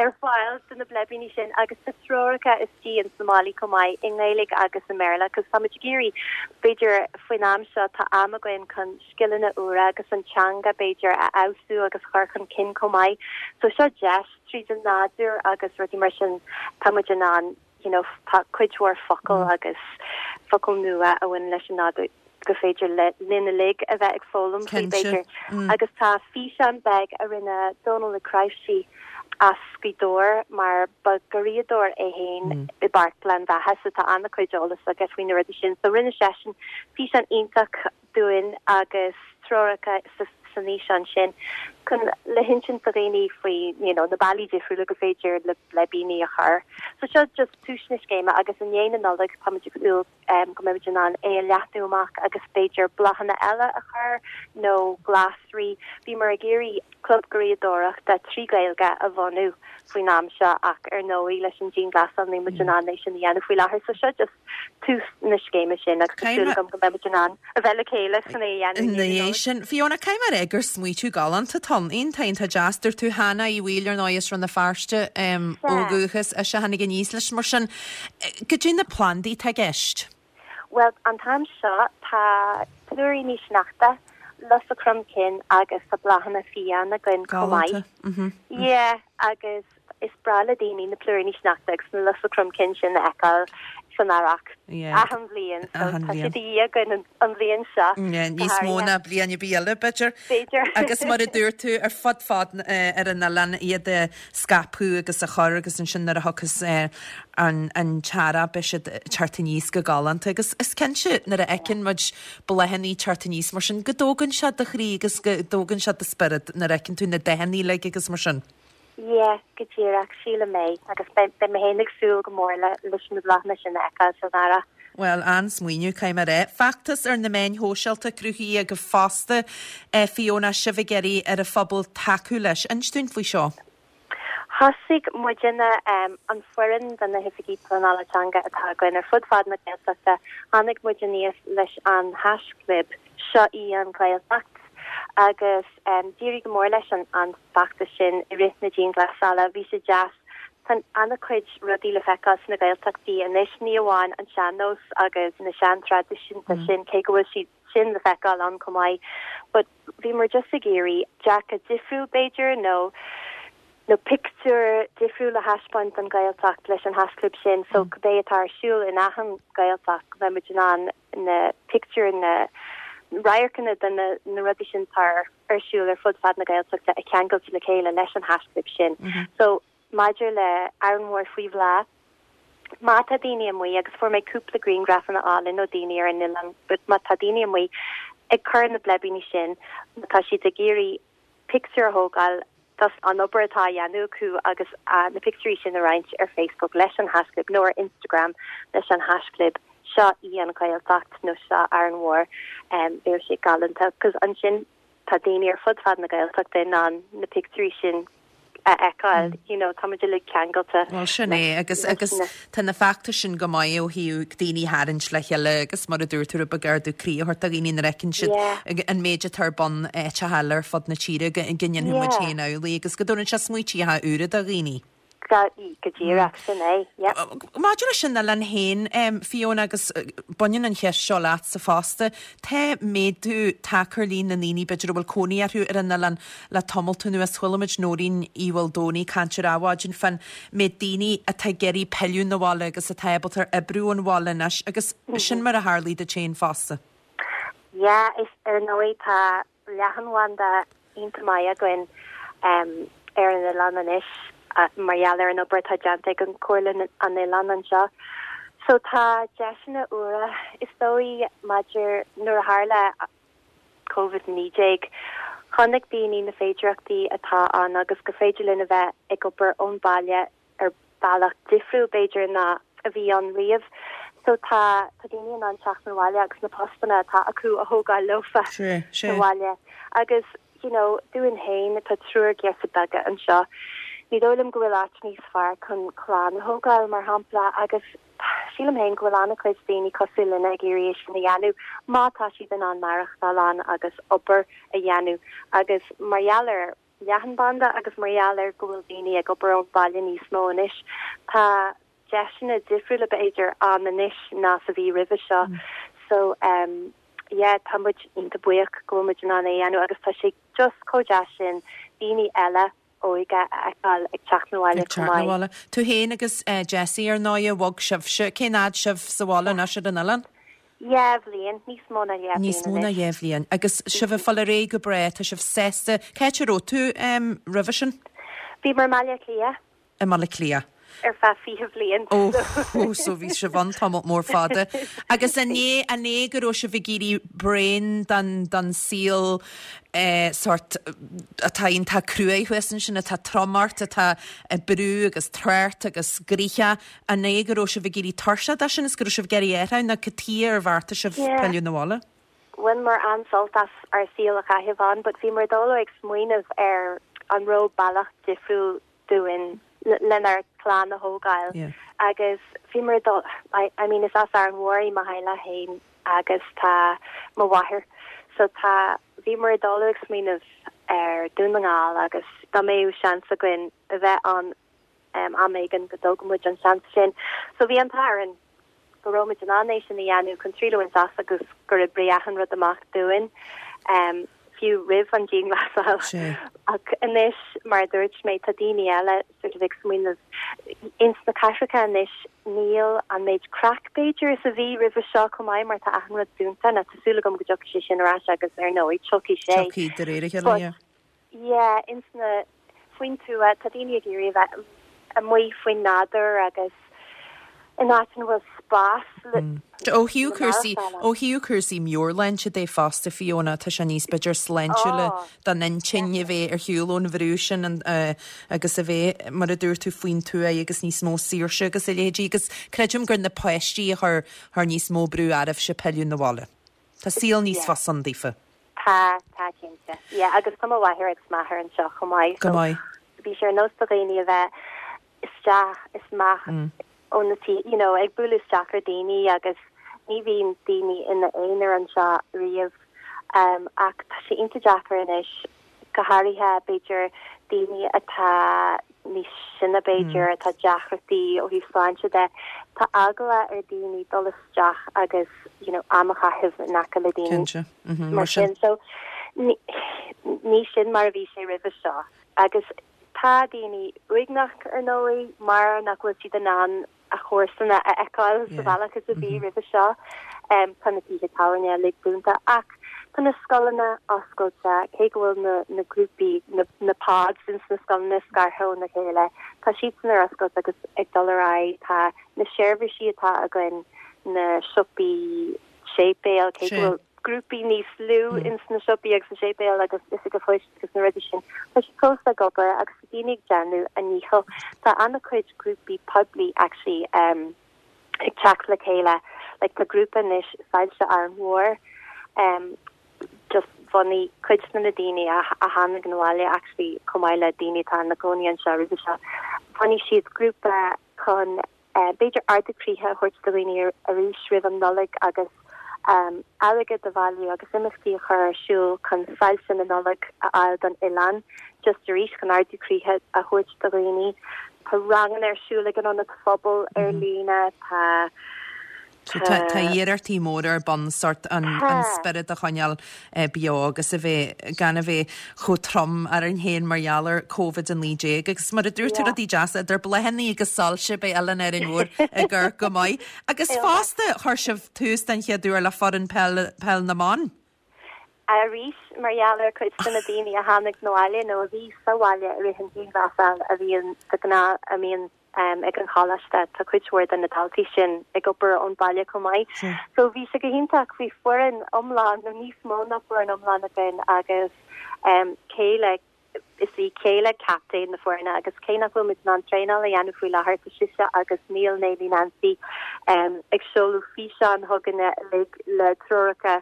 ar fáil do na bleibíní sin agus tá treoracha istigh ins na málaí chomh maith i nGaeilge agus i mBéarla cos tá muid ag iarraidh, b'fhéidir faoin am seo tá am againn chun scileanna úra agus an teanga b'fhéidir a fheabhsú agus a chur chun cinn chomh maith. So seo deis tríd an nádúr agus rudaí mar sin tá muid in ann you know tá cuid mhór focal agus focail nua a bhaineann leis an nádúr gur féidir le linn uilig a bheith ag foghlaim faoi b'fhéidir. Agus tá físeán beag a rinne Dónal Ó Cnáimhsí as Gaoth Dobhair mar ba garraíodóir é féin i bPáirc Ghleann Bheatha so tá an-chuid eolas aige faoi na rudaí sin. So rinne seisean físeán iontach dúinn agus treoracha san fhíseán sin chun le hinsint do dhaoine faoi you know na bealaí difriúla gur féidir le bleibíní a chur. So seo just tús na scéime agus i ndiaidh na Nollag táimid ag súil go mbeimid in ann é a leathnú amach agus b'fhéidir bláthanna eile a chur nó glasraí. Bhíomar ag iarraidh club garraíodóireachta 3 Gaeilge a bhunú faoin am seo ach ar ndóigh leis an dianghlasáil níl muid in ann é sin a dhéanamh faoi láthair so seo just tús na scéime sin agus tá súil agam go mbeidh muid in ann a bheith le chéile chun é a dhéanamh i ndiaidh na Nollag. sin. Fiona, caithfidh mé a rá gur smaoitiú galánta atá ann. Iontach, iontach deas. Dúirt tú Hannah Uí Bhaoill, ar ndóigh, as Rann na Feirste ó dhúchas, ise a tháinig aníos leis. Mar sin, goidé na plandaí atá i gceist? Bhuel, an t-am seo tá plúiríní sneachta, lusa cromchinn agus tá bláthanna fiáin againn chomh maith. Galánta. Yeah, agus Is breá le daoine na plúiríní sneachta agus na lusa cromchinn sin a fheiceáil san earrach achan bhliain so tá siad de dhíth againn an bhliain seo go Níos mó ná bliain ar bith eile, b'fhéidir. B'fhéidir. Agus mar a dúirt tú, ar fud fad ar an oileán iad a scaipeadh agus a chur agus ansin nuair a thiocfas an an t-earrach beidh siad ag teacht aníos go galánta. Agus is cinnte nuair a fheiceann muid bláthanna ag teacht aníos mar sin go dtógann sé do chroí agus go dtógann sé do spiorad nuair a fheiceann tú na dathanna uilig agus mar sin. Yeah, go díreach, sílim é, agus beidh mé féin ag súil go mór leis na bláthanna sin a fheiceáil san earrach. Bhuel, an-smaoineamh, caithfidh mé a rá. Feachtas ar na meáin shóisialta cruthaithe agaibh fosta, Fiona, sibh ag iarraidh ar an phobal tacú leis. Inis dúinn faoi seo. Thosaigh muidinne, an foireann de na hOifigí Pleanála Teanga atá againn ar fud fad na Gaeltachta, tháinig muid aníos leis an haischlib Seo í an Ghaeltacht agus d'éirigh go mór leis an feachtas sin i rith na dianghlasála. Bhí sé deas. Tá an-chuid rudaí le feiceáil sna Gaeltachtaí anois, ní amháin an sean-nós agus na sean-traidisiúnta sin, cé go bhfuil siad sin le feiceáil ann chomh maith, but bhíomar just ag iarraidh dearcadh difriúil b'fhéidir nó nó pictiúr difriúil a thaispeáint don Ghaeltacht leis an haischlib sin so cibé atá ar siúl in achan Ghaeltacht go mbeidh muid in ann na pictiúir, na radharcanna de na rudaí sin atá ar siúl ar fud fad na Gaeltachta a cheangailt le chéile leis an haischlib sin. So, maidir le Árainn Mhór faoi bhláth, má tá daoine amuigh, agus fuair mé cúpla grianghrafanna álainn ó daoine ar an oileán, but má tá daoine amuigh ag cur na bleibíní sin, má tá siad ag iarraidh pictiúr a thógáil. Just an obair atá á dhéanamh acu agus na pictiúirí sin a roinnt ar Facebook leis an haischlib nó ar Instagram leis an haischlib seo í an Ghaeltacht nó seo Árainn Mhór, bheadh sé galánta 'cause ansin tá daoine ar fud fad na Gaeltachta in ann na pictiúirí sin a fheiceáil, you know, tá muid uilig ceangailte. Bhuel sin é agus agus tá na feachtais sin go maith ó thaobh daoine a tharraingt le chéile agus mar a dúirt tú rud beag ardú croí a thabhairt do dhaoine nuair a fheiceann siad an méid atá ar bun áiteacha eile ar fud na tíre go ndéanfaidh muid féin amhlaidh agus go dtabharann sé smaoitíocha úra do dhaoine. Go díreach, sin é, yeah. Maidir leis an oileán féin, Fiona, agus baineann an cheist seo leatsa fosta, tá méadú tagtha ar líon na ndaoine, b'fhéidir, a bhfuil cónaí orthu ar an oileán le tamalt anuas. Chuala muid Nóirín Uí Mhaoldomhnaigh ag caint ar Adhmhaidin fán méid daoine atá ag iarraidh pilleadh 'na bhaile agus atá ábalta ar oibriú ón bhaile anois, agus sin mar a tharlaigh duit féin fosta. Yeah, is ar ndóigh tá leathanbhanda iontach maith againn ar an oileán anois mar gheall ar an obair atá déanta ag an Comhairle an Oileáin anseo. So tá deiseanna úra is dóigh maidir nuair a tharla Covid-19 chonaic daoine na féidireachtaí atá ann agus gur féidir linn a bheith ag obair ón baile ar bealach difriúil b'fhéidir ná a bhí ann riamh. So tá tá daoine in ann teacht 'na bhaile agus na postanna atá acu a thógáil leofa sa bhaile. Agus you know dúinn féin tá triúr girseach beaga anseo. Ní dóigh liom go bhfuil áit níos fearr chun clann a thógáil mar shampla agus sílim féin go bhfuil an-chuid daoine cosúil linne ag iarraidh é sin a dhéanamh má tá siad in ann maireachtáil ann agus obair a dhéanamh agus mar gheall ar leathanbhanda agus mar gheall ar go bhfuil daoine ag obair ón bhaile níos mó anois, tá deiseanna difriúla b'fhéidir ann anois ná is a bhí roimhe seo. So em yeah tá muid iontach buíoch go bhfuil muid in ann é a dhéanamh agus tá sé just chomh deas sin daoine eile óga a fheiceáil ag teacht 'na bhaile chomh maith. Ag teacht 'na bhaile. Tú féin agus Jessie ar ndóighe, bhog sibhse. Cén fhad sibh sa bhaile anois ar an oileán? Dhá bhliain, níos mó ná dhá bhliain Níos mó ná dhá bhliain. Agus sibh ag fáil ar aghaidh go breá, tá sibh sásta. Cá háit a raibh tú roimhe sin? Bhíomar i mBaile Átha Cliath. I mBaile Átha Cliath. Ar feadh 20 bhliain. Ó, so bhí sibh ann tamall mór fada. Agus an é, an é go raibh sibh ag iarraidh braon den, den saol eh, sórt atá iontach cruaidh thuas ansin, atá trom ort, atá ag brú agus trácht agus gnoitheach, An é go raibh sibh ag éirí tuirseach de sin is go raibh sibh ag iarraidh athrú nó cad tuighe ar bheartaigh sibh pilleadh 'na bhaile? Bhaineamar an-sult as ár saol a chaitheamh ann but bhíomar ag dul ag smaoineamh ar an raibh bealach difriúil dúinn lenár clann a thógáil agus bhíomar ag dul, I mean is as Árainn Mhór í mo theaghlach féin agus tá mo mháthair so tá, bhíomar ag dul ag smaoineamh ar Dún na nGall agus dá mbeadh seans againn a bheith ann am éigin go dtógfadh muid an seans sin. So bhí an t-ádh orainn go raibh muid in ann é sin a dhéanamh chun triail a bhaint as agus gur oibrigh achan rud amach dúinn, fiú roimh an dianghlasáil. Ach anois, mar a dúirt mé, tá daoine eile sort of ag smaoineamh ins na cathracha anois níl an méid craic b'fhéidir is a bhí roimhe seo chomh maith mar tá achan rud dúnta. Now tá súil agam go dtiocfaidh sé sin ar ais agus ar ndóigh tiocfaidh sé. Tiocfaidh de réir a chéile, yeah. Yeah, ins na, faoin tuath, tá daoine ag iarraidh a bheith amuigh faoin nádúr agus in áit ina bhfuil spás le Ó thaobh cúrsaí, ó thaobh cúrsaí meabhairshláinte de fosta, Fiona, tá sé níos, b'fhéidir, sláintiúla don intinn a bheith ar shiúl ón bhrú sin agus a bheith, mar a dúirt tú, faoin tuath agus níos mó saoirse agus a leithéidí agus creidim gur na páistí a chuir, chuir níos mó brú oraibhse pilleadh 'na bhaile. Tá saol níos fusa ann daofa. Tá, tá cinnte. Yeah, agus tá mo mháthair agus m'athair anseo chomh maith. Go maith. Bhí sé ar nós do dhaoine a bheith isteach is amach ó na tí, you know, ag bualadh isteach ar daoine agus ní bhíonn daoine ina aonar anseo riamh. Um, ach tá sé iontach deacair anois go háirithe b'fhéidir daoine atá níos sine b'fhéidir, atá deacrachtaí ó thaobh sláinte de, tá eagla ar daoine dul isteach agus you know am a chaitheamh in aice le daoine mar sin. So ní sin mar a bhí sé roimhe seo. Agus tá daoine uaigneach ar ndóigh mar nach bhfuil siad in ann a chomharsana a fheiceáil sa bhealach is a bhí roimhe seo. Tá na tithe tábhairne uilig dúnta ach tá na scoileanna oscailte, cé go bhfuil na na grúpaí, na na pods ins na scoileanna scartha óna chéile, tá siadsan ar oscailt agus ag dul ar aghaidh. Tá na seirbhísí atá againn, na siopaí, séipéil, cé go bhfuil. grúpaí níos lú ins na siopaí agus na séipéil agus oifig an phoist agus na rudaí sin, tá siad fós ag obair agus tá daoine ag déanamh a ndícheall. Tá an-chuid grúpaí poiblí actually ag teacht le chéile, like tá grúpa anois Soilse Árainn Mhór, just bhunaigh cuid de na daoine a tháinig 'na bhaile actually chomh maith le daoine atá ina gcónaí anseo roimhe seo, bhunaigh siad grúpa chun b'fhéidir ardú croíthe a thabhairt do dhaoine arís roimh an Nollaig agus airgead a bhailiú agus imeachtaí a chur ar siúl chun soilse na Nollag a fháil don oileán just arís chun ardú croíthe a thabhairt do dhaoine. Tá ranganna ar siúl ag an Ionad Phobail ar líne, tá. Tá iarrachtaí móra ar bun sórt an spiorad a choinneáil beo agus a bheith, gan a bheith chomh trom orainn féin mar gheall ar Covid-19 agus mar a dúirt tú rudaí deasa idir bláthanna agus soilse beidh Oileán Árainn Mhór ag amharc go maith. Agus fosta chuir sibh tús den chéad uair le foireann peil na mban. Arís, mar gheall ar chuid de na daoine a tháinig 'na bhaile nó a bhí sa bhaile i rith an dianghlasáil a bhíonn de ghnáth a mbíonn ag an choláiste, tá cuid mhór de na daltaí sin ag obair ón baile chomh maith. So bhí sé go hiontach, bhí foireann iomlán nó níos mó ná foireann iomlán againn agus céile Is í céile captaen na foirne agus cé nach bhfuil muid in ann traenáil a dhéanamh faoi láthair, tá sise agus Neil Néilí Nancy ag seoladh físeáin chugainne uilig le treoracha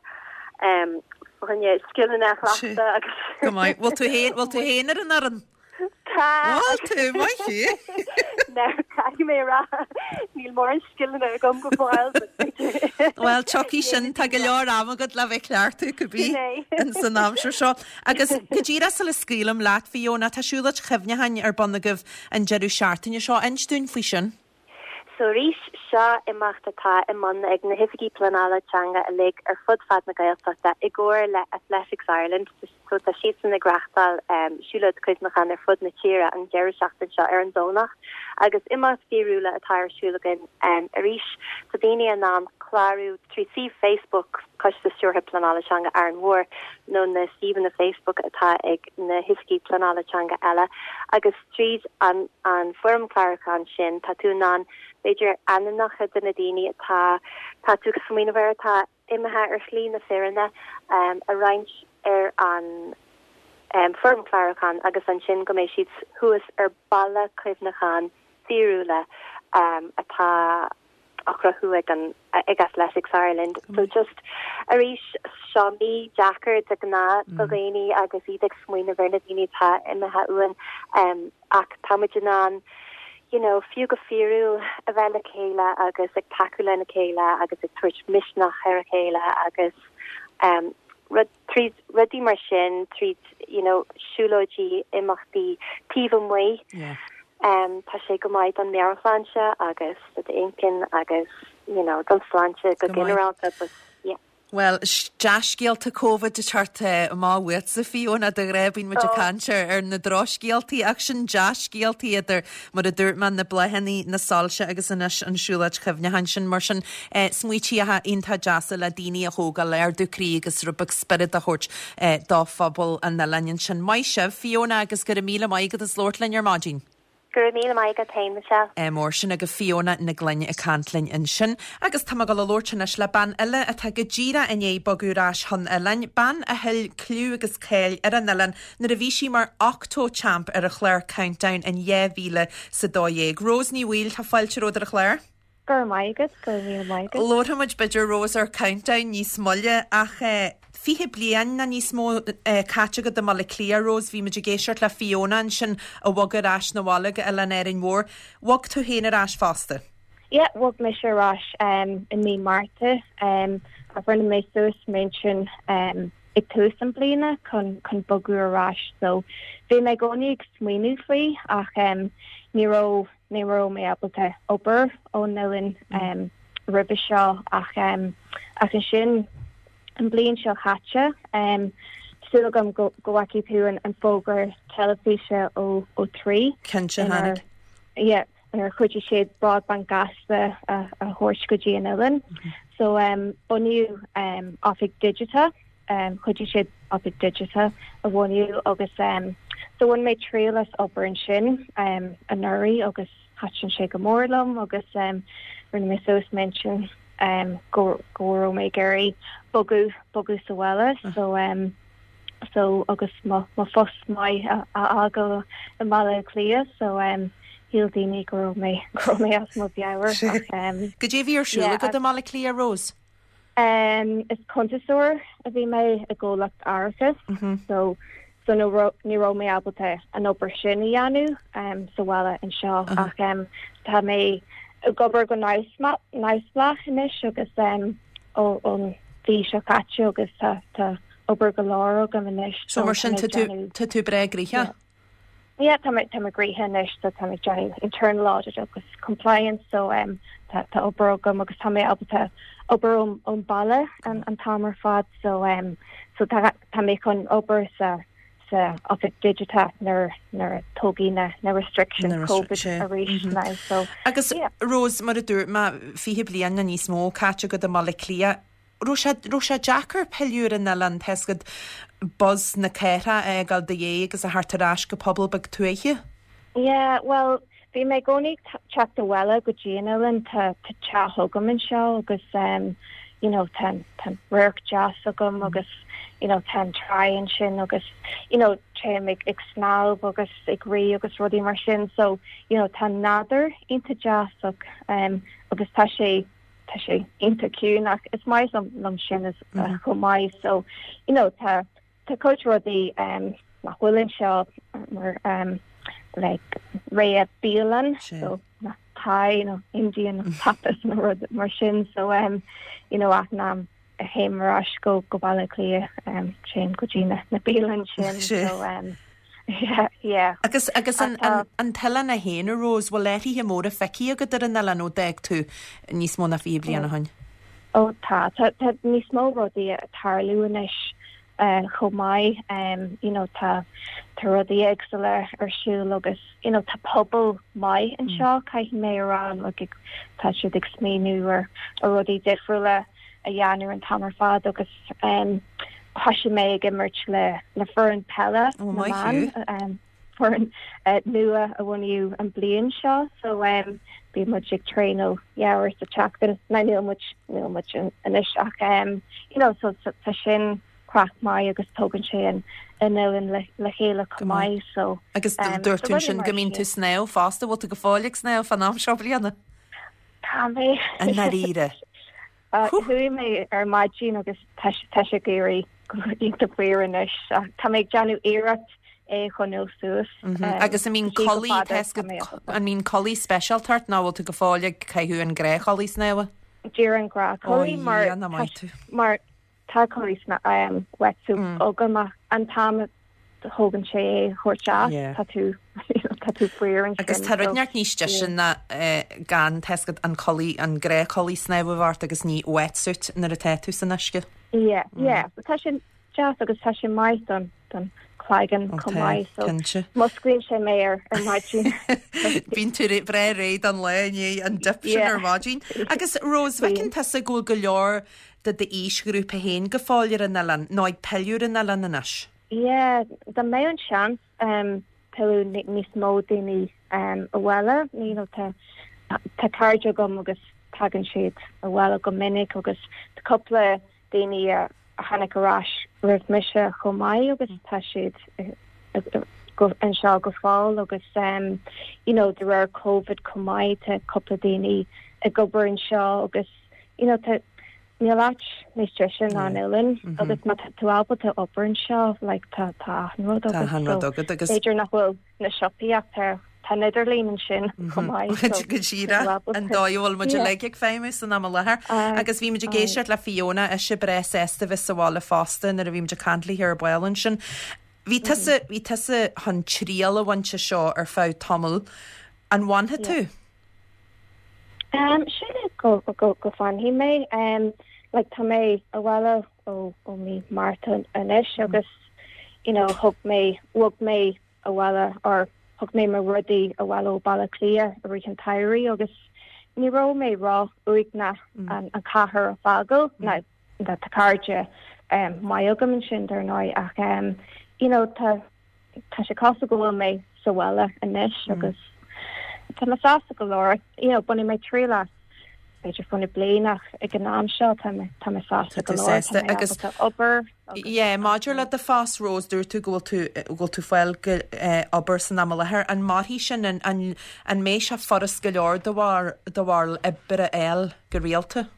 fá choinne scileanna a chleachtadh agus. Go maith. Bhfuil tú féin, bhfuil tú féin ar an fhoireann? Tá. Bhfuil tú, maith thú. Now, caithfidh mé a rá, níl mórán scileanna agam go fóill, but b'fhéidir. Bhuel, tiocfaidh sin, tá go leor ama agat le bheith ag cleachtadh, cibé, ins an aimsir seo. Agus go díreach sula scaoilim leat, Fiona, tá siúlóid chuimhneacháin ar bun agaibh an deireadh seachtaine seo. Inis dúinn faoi sin. So arís, seo imeacht atá i mbun ag na hOifigí Pleanála Teanga uilig ar fud fad na Gaeltachta i gcomhar le Athletics Ireland. So tá siadsan ag reáchtáil siúlóid cuimhneacháin ar fud na tíre an deireadh seachtaine seo ar an Domhnach agus imeacht fíorúla atá ar siúl againn arís. Tá daoine in ann clárú trí suíomh Facebook Coiste Stiúrtha Pleanála Teanga Árainn Mhór nó na suíomhanna Facebook atá ag na hoifigí pleanála teanga eile agus tríd an an foirm chlárúcháin sin tá tú in ann b'fhéidir ainmneacha de na daoine atá tá tú ag smaoineamh air atá imithe ar shlí na fírinne a roinnt ar an foirm chlárúcháin agus ansin go mbeidh siad thuas ar balla cuimhneacháin fíorúla atá á chruthú ag an ag Athletics Ireland. So just arís seo mí deacair de ghnáth do dhaoine agus iad ag smaoineamh ar na daoine atá imithe uainn ach tá muid in ann you know fiú go fíorúil a bheith le chéile agus ag tacú lena chéile agus ag tabhairt misneach ar a chéile agus rud tríd rudaí mar sin tríd you know siúlóidí imeachtaí taobh amuigh yeah. um, tá sé go maith don meabhairshláinte agus do d'inchinn agus you know don sláinte go ginearálta but yeah. Bhuel, dea-scéalta Covid ag teacht amach uaitse, Fiona, de ghnáth bíonn muid ag caint ar na drochscéaltaí ach sin dea-scéaltaí idir, mar a dúirt mé, na bláthanna, na soilse agus anois an siúlóid chuimhneacháin sin. Mar sin, smaoitíocha iontach deasa le daoine a thógáil, ardú croí agus rud beag spiorad a thabhairt do phobal an oileáin ansin. Maith sibh, Fiona, agus go raibh míle maith agat as labhairt linn ar maidin. Go raibh míle maith agat féin, Michelle. Mór sin agaibh Fiona Nic Gloinn ag caint linn ansin. Agus tá mé ag dul a labhairt anois le bean eile atá go díreach i ndiaidh bogadh ar ais chun oileáin, bean a thuill cliú agus cáil ar an oileán nuair a bhí sí mar Octo Champ ar an chlár Countdown in 2012. Rose Ní Bhaoill, tá fáilte romhat ar an chlár. Go raibh maith agat, go raibh míle maith agat. Labharfaidh muid b'fhéidir Rose ar Countdown níos moille ach 20 bliain nó níos mó caite agat i mBaile Átha Cliath, Rose, bhí muid ag éisteacht le Fiona ansin a bhog ar ais 'na bhaile go Oileán Árainn Mhór. Bhog tú féin ar ais fosta? Yeah, bhog mise ar ais i mí Márta ach rinne mé suas m'intinn ag tús an bliana chun chun bogadh ar ais so bhí mé i gcónaí ag smaoineamh faoi ach ní raibh Ní raibh mé ábalta obair ón oileán roimhe seo ach ach ansin an bliain seo chaite, súil agam go go bhfeicfidh tú an fógra teilifíse ó ó Three. Cinnte, tháinig. Yeah, inar chuidigh siad broadband gasta a a thabhairt go dtí an oileán. So bunaíodh oifig digiteach Chuidigh siad oifig digiteach a bhunú agus so bhain mé triail as obair ansin anuraidh agus thaitin sé go mór liom agus rinne mé suas m'intinn. go go raibh mé ag iarraidh bogadh bogadh sa bhaile so so agus mo mo phost maith a fhágáil i mBaile Átha Cliath so shíl daoine go raibh mé go raibh mé as mo mheabhair ach Goidé a bhí ar siúl agat i mBaile Átha Cliath, Rose? Is cuntasóir a bhí mé i gcomhlacht árachais so so ní raibh ní raibh mé ábalta an obair sin a dhéanamh sa bhaile anseo ach tá mé ag obair go neamhspleách anois agus ón mhí seo caite agus tá tá obair go leor agam anois So mar sin tá tú tá tú breá gnoitheach? Yeah, tá mé tá mé gnoitheach anois so tá mé ag déanamh internal audit agus compliance so um, tá tá obair agam agus tá mé ábalta obair ón ón baile an an t-am ar fad so um, so tá tá mé chun obair sa sa oifig digiteach nuair nuair a tógfaidh na na restrictions Na restric- COVID sé, arís mhm. now so Agus yeah. Rose, mar a dúirt mé, 20 bliain nó níos mó caite agat i mBaile Átha Cliath, raibh sé, raibh sé deacair pilleadh ar an oileán, tá a fhios agat buzz na cathrach a fhágáil i do dhiaidh agus a theacht ar ais go pobal beag tuaithe? Yeah, bhuel, bhí mé i gcónaí ag teacht abhaile go dtí an oileán, tá teach agam anseo agus um, you know, tá tá radharc deas agam agus you know, tá an tráigh ansin agus you know, téim ag, ag snámh agus ag rith agus rudaí mar sin so you know, tá an nádúr iontach deas ach, um, agus tá sé tá sé iontach ciúin ach is maith liom liom sin as mm. chomh maith so you know tá tá cuid rudaí um, nach bhfuil anseo mar um, like rogha bialann so na Thai nó Indian nó tapas nó rud mar sin so um, you know achan am a théim ar ais go go Baile Átha Cliath um, téim go dtí na, na bialann sin so um, Yeah, yeah. Agus, agus an, an, an t-oileán é féin, a Rose, bhfuil athruithe móra feicthe agat ar an oileán ó d'fhág tú níos mó ná 20 bliain ó shin? Ó tá, tá, tá níos mó rudaí ag tarlú anois chomh maith. You know, tá, tá rudaí éagsúla ar siúl agus, you know, tá pobal maith anseo, caithfidh mé a rá, like, tá siad ag smaoineamh ar, ar rudaí difriúla a dhéanamh an t-am ar fad agus thosaigh mé ag imirt le le foireann peile na mban, foireann nua a bunaíodh an bliain seo so bíonn muid ag traenáil dhá uair sa tseachtain, now níl muid níl muid anois ach you know so tá sin craic maith agus tógann sé an an oileán le le chéile chomh maith so Agus dúirt tú ansin go mbíonn tú ag snámh fosta, bhfuil tú go fóill ag snámh fán am seo bliana? Tá mé. I ndáiríre. Chuaigh mé ar maidin agus tá sé ag éirí iontach fuar anois. Tá mé ag déanamh iarracht é a choinneáil suas. Agus an mbíonn culaith, an mbíonn culaith speisialta ort nó bhfuil tú go fóill ag caitheamh an gnáthchulaith snámha? Díreach an gnáthchulaith mar Tá culaith wetsuit agam ach an t-am a thógann sé é a thabhairt as, tá tú, tá tú fuar ansin. Agus tá rud inteacht níos deise ná gan, tá a fhios agat an culaith, an gnáthchulaith snámha a bheith ort agus ní wetsuit nuair atá tú san uisce. Yeah, yeah. Tá sé deas agus tá sé maith don, don cloigeann chomh maith so musclaíonn sé mé ar ar maidin. Bíonn tú breá réidh don lá i ndiaidh an dip sin ar maidin. Agus Rose, bhfeiceann tusa go bhfuil go leor de d'aoisghrúpa féin go fóill ar an oileán, nó ag pilleadh ar an oileán anois? Yeah, dá mbeadh an seans pilleadh níos mó daoine abhaile, you know, tá tá cairde agam agus tagann siad abhaile go minic agus tá cúpla daoine a tháinig ar ais roimh mise chomh maith agus tá siad anseo go fóill agus you know de réir Covid chomh maith tá cúpla daoine ag obair anseo agus you know tá níl áit níos deise ná an oileán agus má tá tú ábalta obair anseo like tá tá achan rud agat so b'fhéidir nach bhfuil na siopaí ach tá tá an idirlíon ansin chomh maith so Go díreach an dóigh a bhfuil muid uilig ag feidhmiú san am i láthair. Agus bhí muid ag éisteacht le Fiona, ise breá sásta bheith sa bhaile fosta nuair a bhí muid ag caint léi ar ball ansin. Bhí tusa, bhí tusa chun triail a bhaint as seo ar feadh tamaill. An bhfanfaidh tú? Sílim go go go bhfanfaidh mé. Like tá mé abhaile ó ó mí Márta anois agus you know thug mé bhog mé abhaile or thug mé mo rudaí abhaile ó Baile Átha Cliath i rith an tsamhraidh agus ní raibh mé ró-uaigneach an an chathair a fhágáil. Now tá cairde maith agam ansin dar ndóigh ach you know tá tá sé cosúil go bhfuil mé sa bhaile anois agus tá mé sásta go leor. You know, bainfidh mé triail as. b'fhéidir fá na bliain ach ag an am seo tá mé tá mé sásta go leor, tá mé ábalta obair agus. Yeah, maidir le do phost Rose, dúirt tú go bhfuil tú go bhfuil tú fáil go obair san am i láthair. An mairfidh sin, an an an mbeidh sé furast go leor do bharr do bharr oibre a fháil go rialta?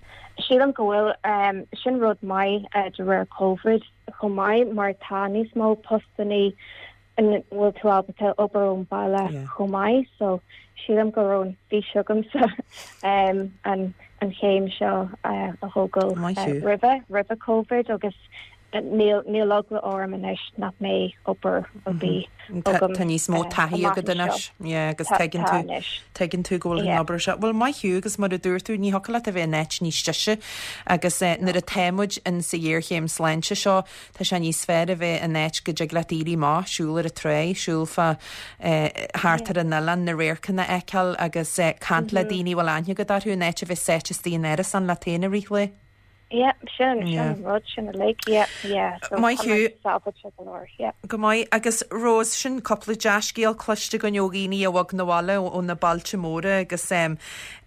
Sílim go bhfuil, sin rud maith de réir Covid chomh maith mar tá níos mó postannaí ina bhfuil tú ábalta obair ón baile chomh maith so sílim go raibh an fís agamsa an an chéim seo a thógáil roimhe roimhe Covid agus níl níl eagla orm anois nach mbeidh obair ar bith agam Tá níos mó taithí agat anois yeah agus tuigeann tú tuigeann tú go bhfuil an obair seo. Bhuel maith thú agus mar a dúirt tú ní thiocfadh leat a bheith in áit níos deise agus nuair atá muid in sa ghéarchéim sláinte seo Tá sé níos fearr a bheith in áit go dtig leat éirí amach, siúl ar an tráigh, siúl fá thart ar an oileán, na radharcanna a fheiceáil agus caint le daoine a bhfuil aithne agat orthu in áit a bheith sáite istigh in árasán leat féin i rith lae. Yeah, sin, sin an rud, sin uilig, yeah, yeah. So Maith tá mé thú. sábháilte go leor, yeah. Go maith. Agus Rose, sin cúpla dea-scéal cloiste againn ó dhaoine a bhog 'na bhaile ó na bailte móra agus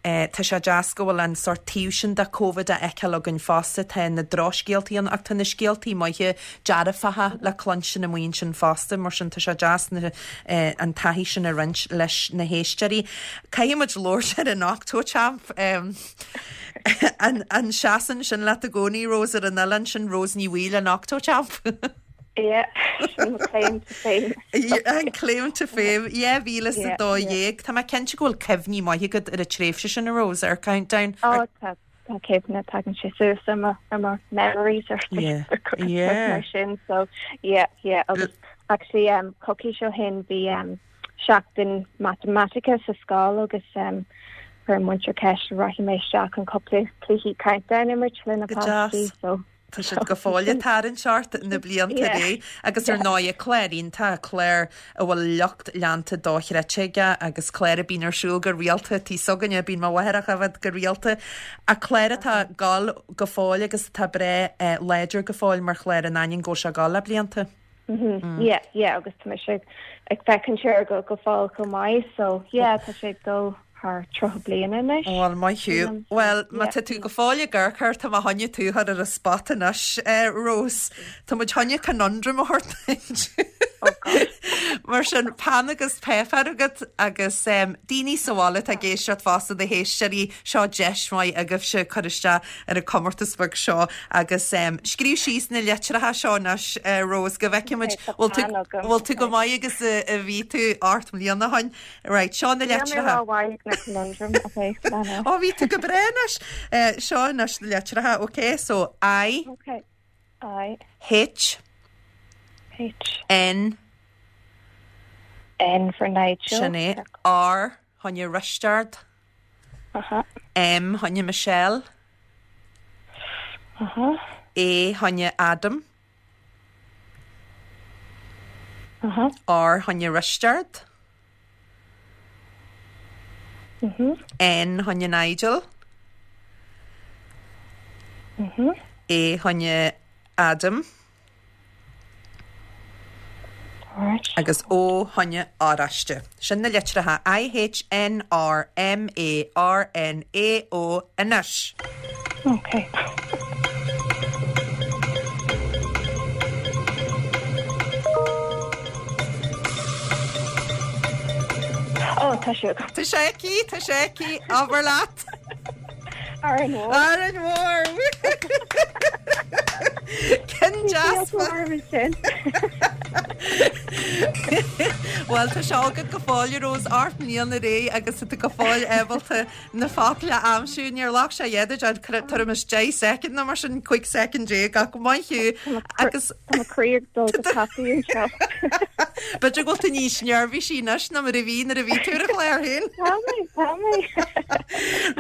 Tá sé deas go bhfuil an sórt taobh sin de Covid á fheiceáil againn fosta. Tá na drochscéaltaí ann ach tá na scéaltaí maithe dearfacha le cluinstin amuigh ansin fosta, mar sin tá sé deas na an taithí sin a roinnt leis na héisteoirí. Caithfidh muid labhairt ar an Octochamp. An an seasann sin leat i gcónaí, Rose, ar an oileán sin, Rose Ní Bhaoill, an Octochamp? Yeah, sin mo claim to fame. An claim to fame, 2012. Tá mé cinnte go bhfuil cuimhní maithe agat ar an tréimhse sin, a Rose, ar Countdown. Oh, tá tá cuimhne, tagann sé suas ar mo ar mo memories ar Facebook agus stuff mar sin, so yeah, yeah, agus actually um, coicís ó shin bhí um, seachtain matamaitice sa scoil agus um, chuir an múinteoir ceist an rachaidh mé isteach chun cúpla cluichí Countdown a imirt le na páistí, so Tá siad go fóill ag tarraingt ort na blianta ar aghaidh agus ar ndóigh clár iontach, clár a bhfuil lucht leanta dochreidte aige agus clár a bíonn ar siúl go rialta tigh s'againne, bíonn mo mháthair á choimhéad go rialta ach clár atá ag gabháil go fóill agus atá breá láidir go fóill mar chlár in ainneoin go bhfuil sé ag gabháil le blianta. Yeah, yeah, agus tá mise ag féachaint air go go fóill chomh maith, so yeah, tá sé ag dul thar 30 bliain anois. Bhuel, maith thú. Bhuel, má tá tú go fóill ag amharc air, tá mé choinne tú a chur ar an spot anois, Rose. Tá muid choinne conundrum a thabhairt duit. Oh God. Mar sin, peann agus páipéar agat agus daoine sa bhaile atá ag éisteacht fosta, na héisteoirí, seo deis mhaith agaibhse cur isteach ar an comórtas beag seo agus scríobh síos na litreacha seo anois, Rose, go bhfeicfidh muid bhfuil tú go maith agus a bhí tú 8 mbliana ó shin. Right, seo na litreacha. Níl mé rómhaith ag na conundrum, ok, lean Ó, bhí tú go breá anois. Seo anois na litreacha, ok, so I. Ok, I. H. H. N. N for Nigel. Sin é. R, choinne Risteard. M choinne Michelle. A choinne Adam. R choinne Risteard. N choinne Nigel. A choinne Adam. Agus O choinne Oráiste. Sin na litreacha I H N R M A R N A O anois. Ok. Ó, tá sé agam. Tá sé aici, tá sé aici, abair leat. Árainn Mhór. Árainn Mhór! Ceann deas. sin. Bhuel tá sé agat go fóill a Rose 8 mbliana ar aghaidh agus tá tú go fóill ábalta na focail a aimsiú. Níor ghlac sé a dhath duit tuairim is 10 soicind nó mar sin 15 soicind ach maith thú agus Tá mo chroí ag dul go tapaidh anseo. B'fhéidir go bhfuil tú níos neirbhísí anois ná mar a bhí nuair a bhí tú ar an chlár féin. Tá mé, tá mé.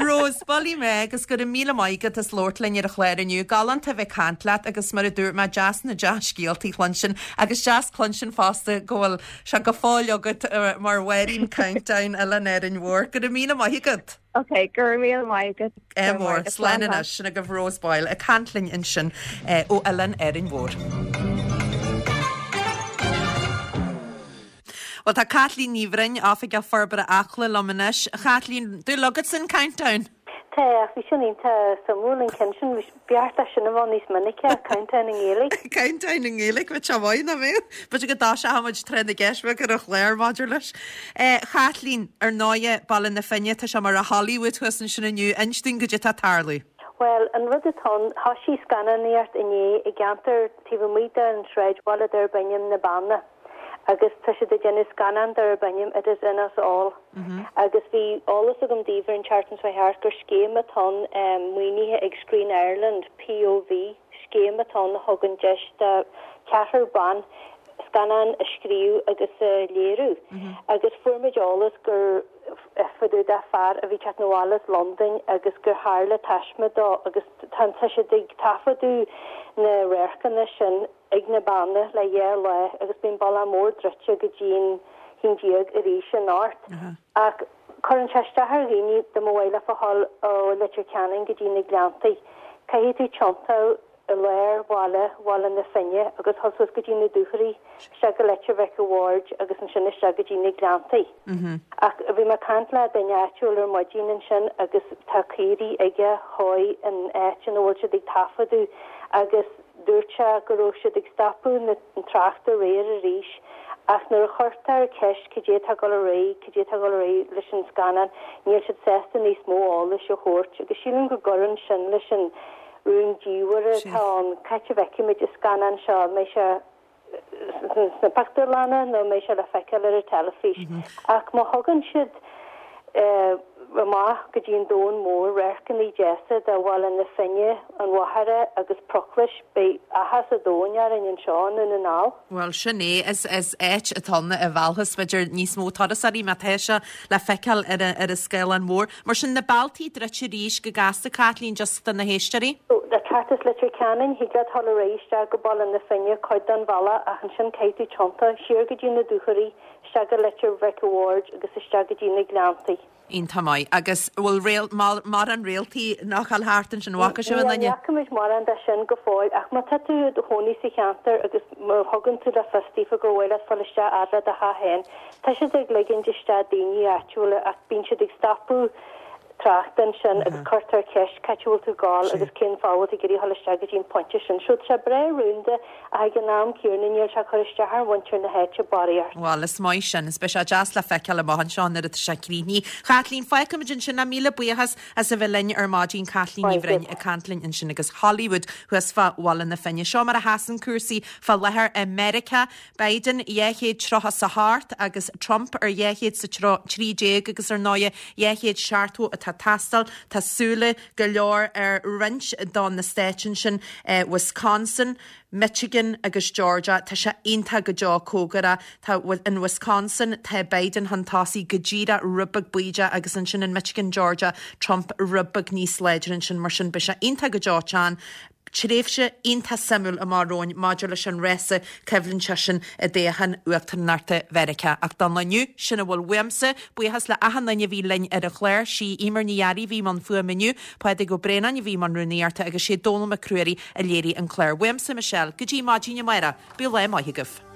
Rose, buailfidh mé agus go raibh míle maith agat as labhairt linn ar an chlár inniu. Galánta a bheith ag caint leat agus mar a dúirt mé, deas na dea-scéaltaí a chluinstin agus deas cluinstin fosta go bhfuil sé go fóill agat mar Mháirín Countdown Oileán Árainn Mhór. Go raibh míle maith agat. Ok, go raibh míle maith agat. Ádh mór. Slán anois. Sin agaibh Rose Boyle ag caint linn ansin ó Oileán Árainn Mhór. Bhuel tá Caitlín Ní Bhroin, Oifigeach Forbartha Acla liom anois. A Chaitlín, dúil agatsa in Countdown? Tá, ach bhí sin iontach suimiúil an ceann sin. Ba cheart é sin a bheith níos minice, Countdown i nGaeilge. Countdown i nGaeilge, bheadh sé maith, nach mbeadh? B'fhéidir go dtoiseoidh muid tráth na gceist beag ar an chlár maidir leis. Chaitlín, ar ndóighe, Baile na Finne, tá sé mar a Hollywood thuas ansin inniu. Inis dúinn goidé atá ag tarlú. Bhuel, an rud atá ann, thoisigh scannánaíocht inné i gceantar taobh amuigh den sráidbhaile darb ainm Na Beanna. agus tá siad ag déanamh scannán darb ainm It Is In Us All agus bhí eolas agam daoibh ar an tseachtain seo thart gur scéim atá ann maoinithe ag Screen Ireland, POV, scéim atá ann a thugann deis do cheathrar ban scannán a scríobh agus a léiriú agus fuair muid eolas gur fá dtaobh de fear a bhí teacht abhaile as Londain agus gur tharla taisme dó agus tá siad ag taifeadadh na radharcanna sin ag na Beanna le dhá lá agus bíonn bealach mór druidte go dtí'n 11 arís anocht. Ach cuireann sé isteach ar dhaoine dá mba mhaith leofa dhul ó Leitir Ceanainn go dtí na Gleanntaí. Caithfidh tú tiontú i lár bhaile Bhaile na Finne agus dhul suas go dtí na Dúchoraidh, isteach go Leitir Mhic a' Bhaird agus ansin isteach go dtí na Gleanntaí. Ach bhí mé ag caint le duine áitiúil ar maidin ansin agus tá caoirigh aige a chuaigh an áit ina bhfuil siad ag taifeadadh agus Dúirt sé go raibh siad ag stopadh an tráchta aréir arís ach nuair a chuirtear ceist cad é atá ag dul ar aghaidh, cad é atá ag dul ar aghaidh leis an scannán, níl siad sásta níos mó eolais a thabhairt agus sílim go gcuireann sin leis an rúndiamhair atá ann. Cá háit a bhfeicfimid an scannán seo? An mbeidh sé sna pictiúrlanna nó an mbeidh sé le feiceáil ar an teilifís? Ach má thugann siad amach go dtí an domhan mór, radharcanna deasa de Bhaile na Finne, an Mhachaire agus Proclais, beidh áthas an domhain orainn anseo i nDún na nGall. Bhuel, sin é. Is áit atá ann a mheallfas, b'fhéidir, níos mó turasóirí má tá sé le feiceáil ar an scáileán mór. Mar sin, na bealtaí druidte arís go gasta, Caitlín, just do na héisteoirí. Ag teacht as Leitir Ceanainn, thig leat dhul ar aghaidh isteach go Baile na Finne, cuid den bhealach, ach ansin caithfidh tú tiontú siar go dtí na Dúchoraidh, isteach go Leitir Mhic a' Bhaird agus isteach go dtí na Gleanntaí. Iontach maith. Agus bhfuil réal, mórán réaltaí nach bhfuil thart ansin, an bhfaca sibh aon duine? Ní fhaca muid mórán de sin go fóill ach má tá tú i do chónaí sa cheantar agus má thugann tú le fios daofa gur mhaith leat fáil isteach fhad le do theach féin, tá siad ag ligint isteach daoine áitiúla ach bíonn siad ag stopadh tráchta ansin agus cuirtear ceist cá háit a bhfuil tú ag gabháil agus cén fáth a bhfuil tú ag iarraidh dhul isteach go dtí an pointe sin. So tá sé breá rúnda ach ag an am céanna níl sé ag cur isteach ar mhuintir na háite barraíocht. Bhuel, is maith sin. Is beidh sé deas le feiceáil amach anseo nuair atá sé críochnaithe. Chaitlín, fágfaimid ansin é. Míle buíochas as a bheith linn ar maidin. Caitlín Ní Bhroin ag caint linn ansin agus Hollywood thuas fá Bhaile na Finne. Seo mar a sheasann cúrsaí fá láthair i Meiriceá. Biden 238 agus Trump ar 213 agus ar ndóighe 270 atá ag teastáil. Tá súile go leor ar roinnt de na stáit ansin, Wisconsin, Michigan agus Georgia. Tá sé iontach go deo cóngarach. Tá in Wisconsin tá Biden chun tosaigh go díreach rud beag bídeach agus ansin in Michigan, Georgia, Trump rud beag níos láidre ansin. Mar sin beidh sé iontach go deo teann. Tréimhse iontach suimiúil amach romhainn maidir leis an rása coimhlinte sin i dtoghchán uachtaránachta Mheiriceá. Ach don lá inniu, sin a bhfuil uaimse. Buíochas le achan duine a bhí linn ar an chlár. Sí Eimear Ní Fhearraigh a bhí i mbun fuaime inniu, Pádraig Ó Braonáin a bhí i mbun rúnaíochta agus sé Dónal Mac Ruairí a léirigh an clár. Uaimse, Michelle, go dtí maidin amárach, bíodh lá maith agaibh.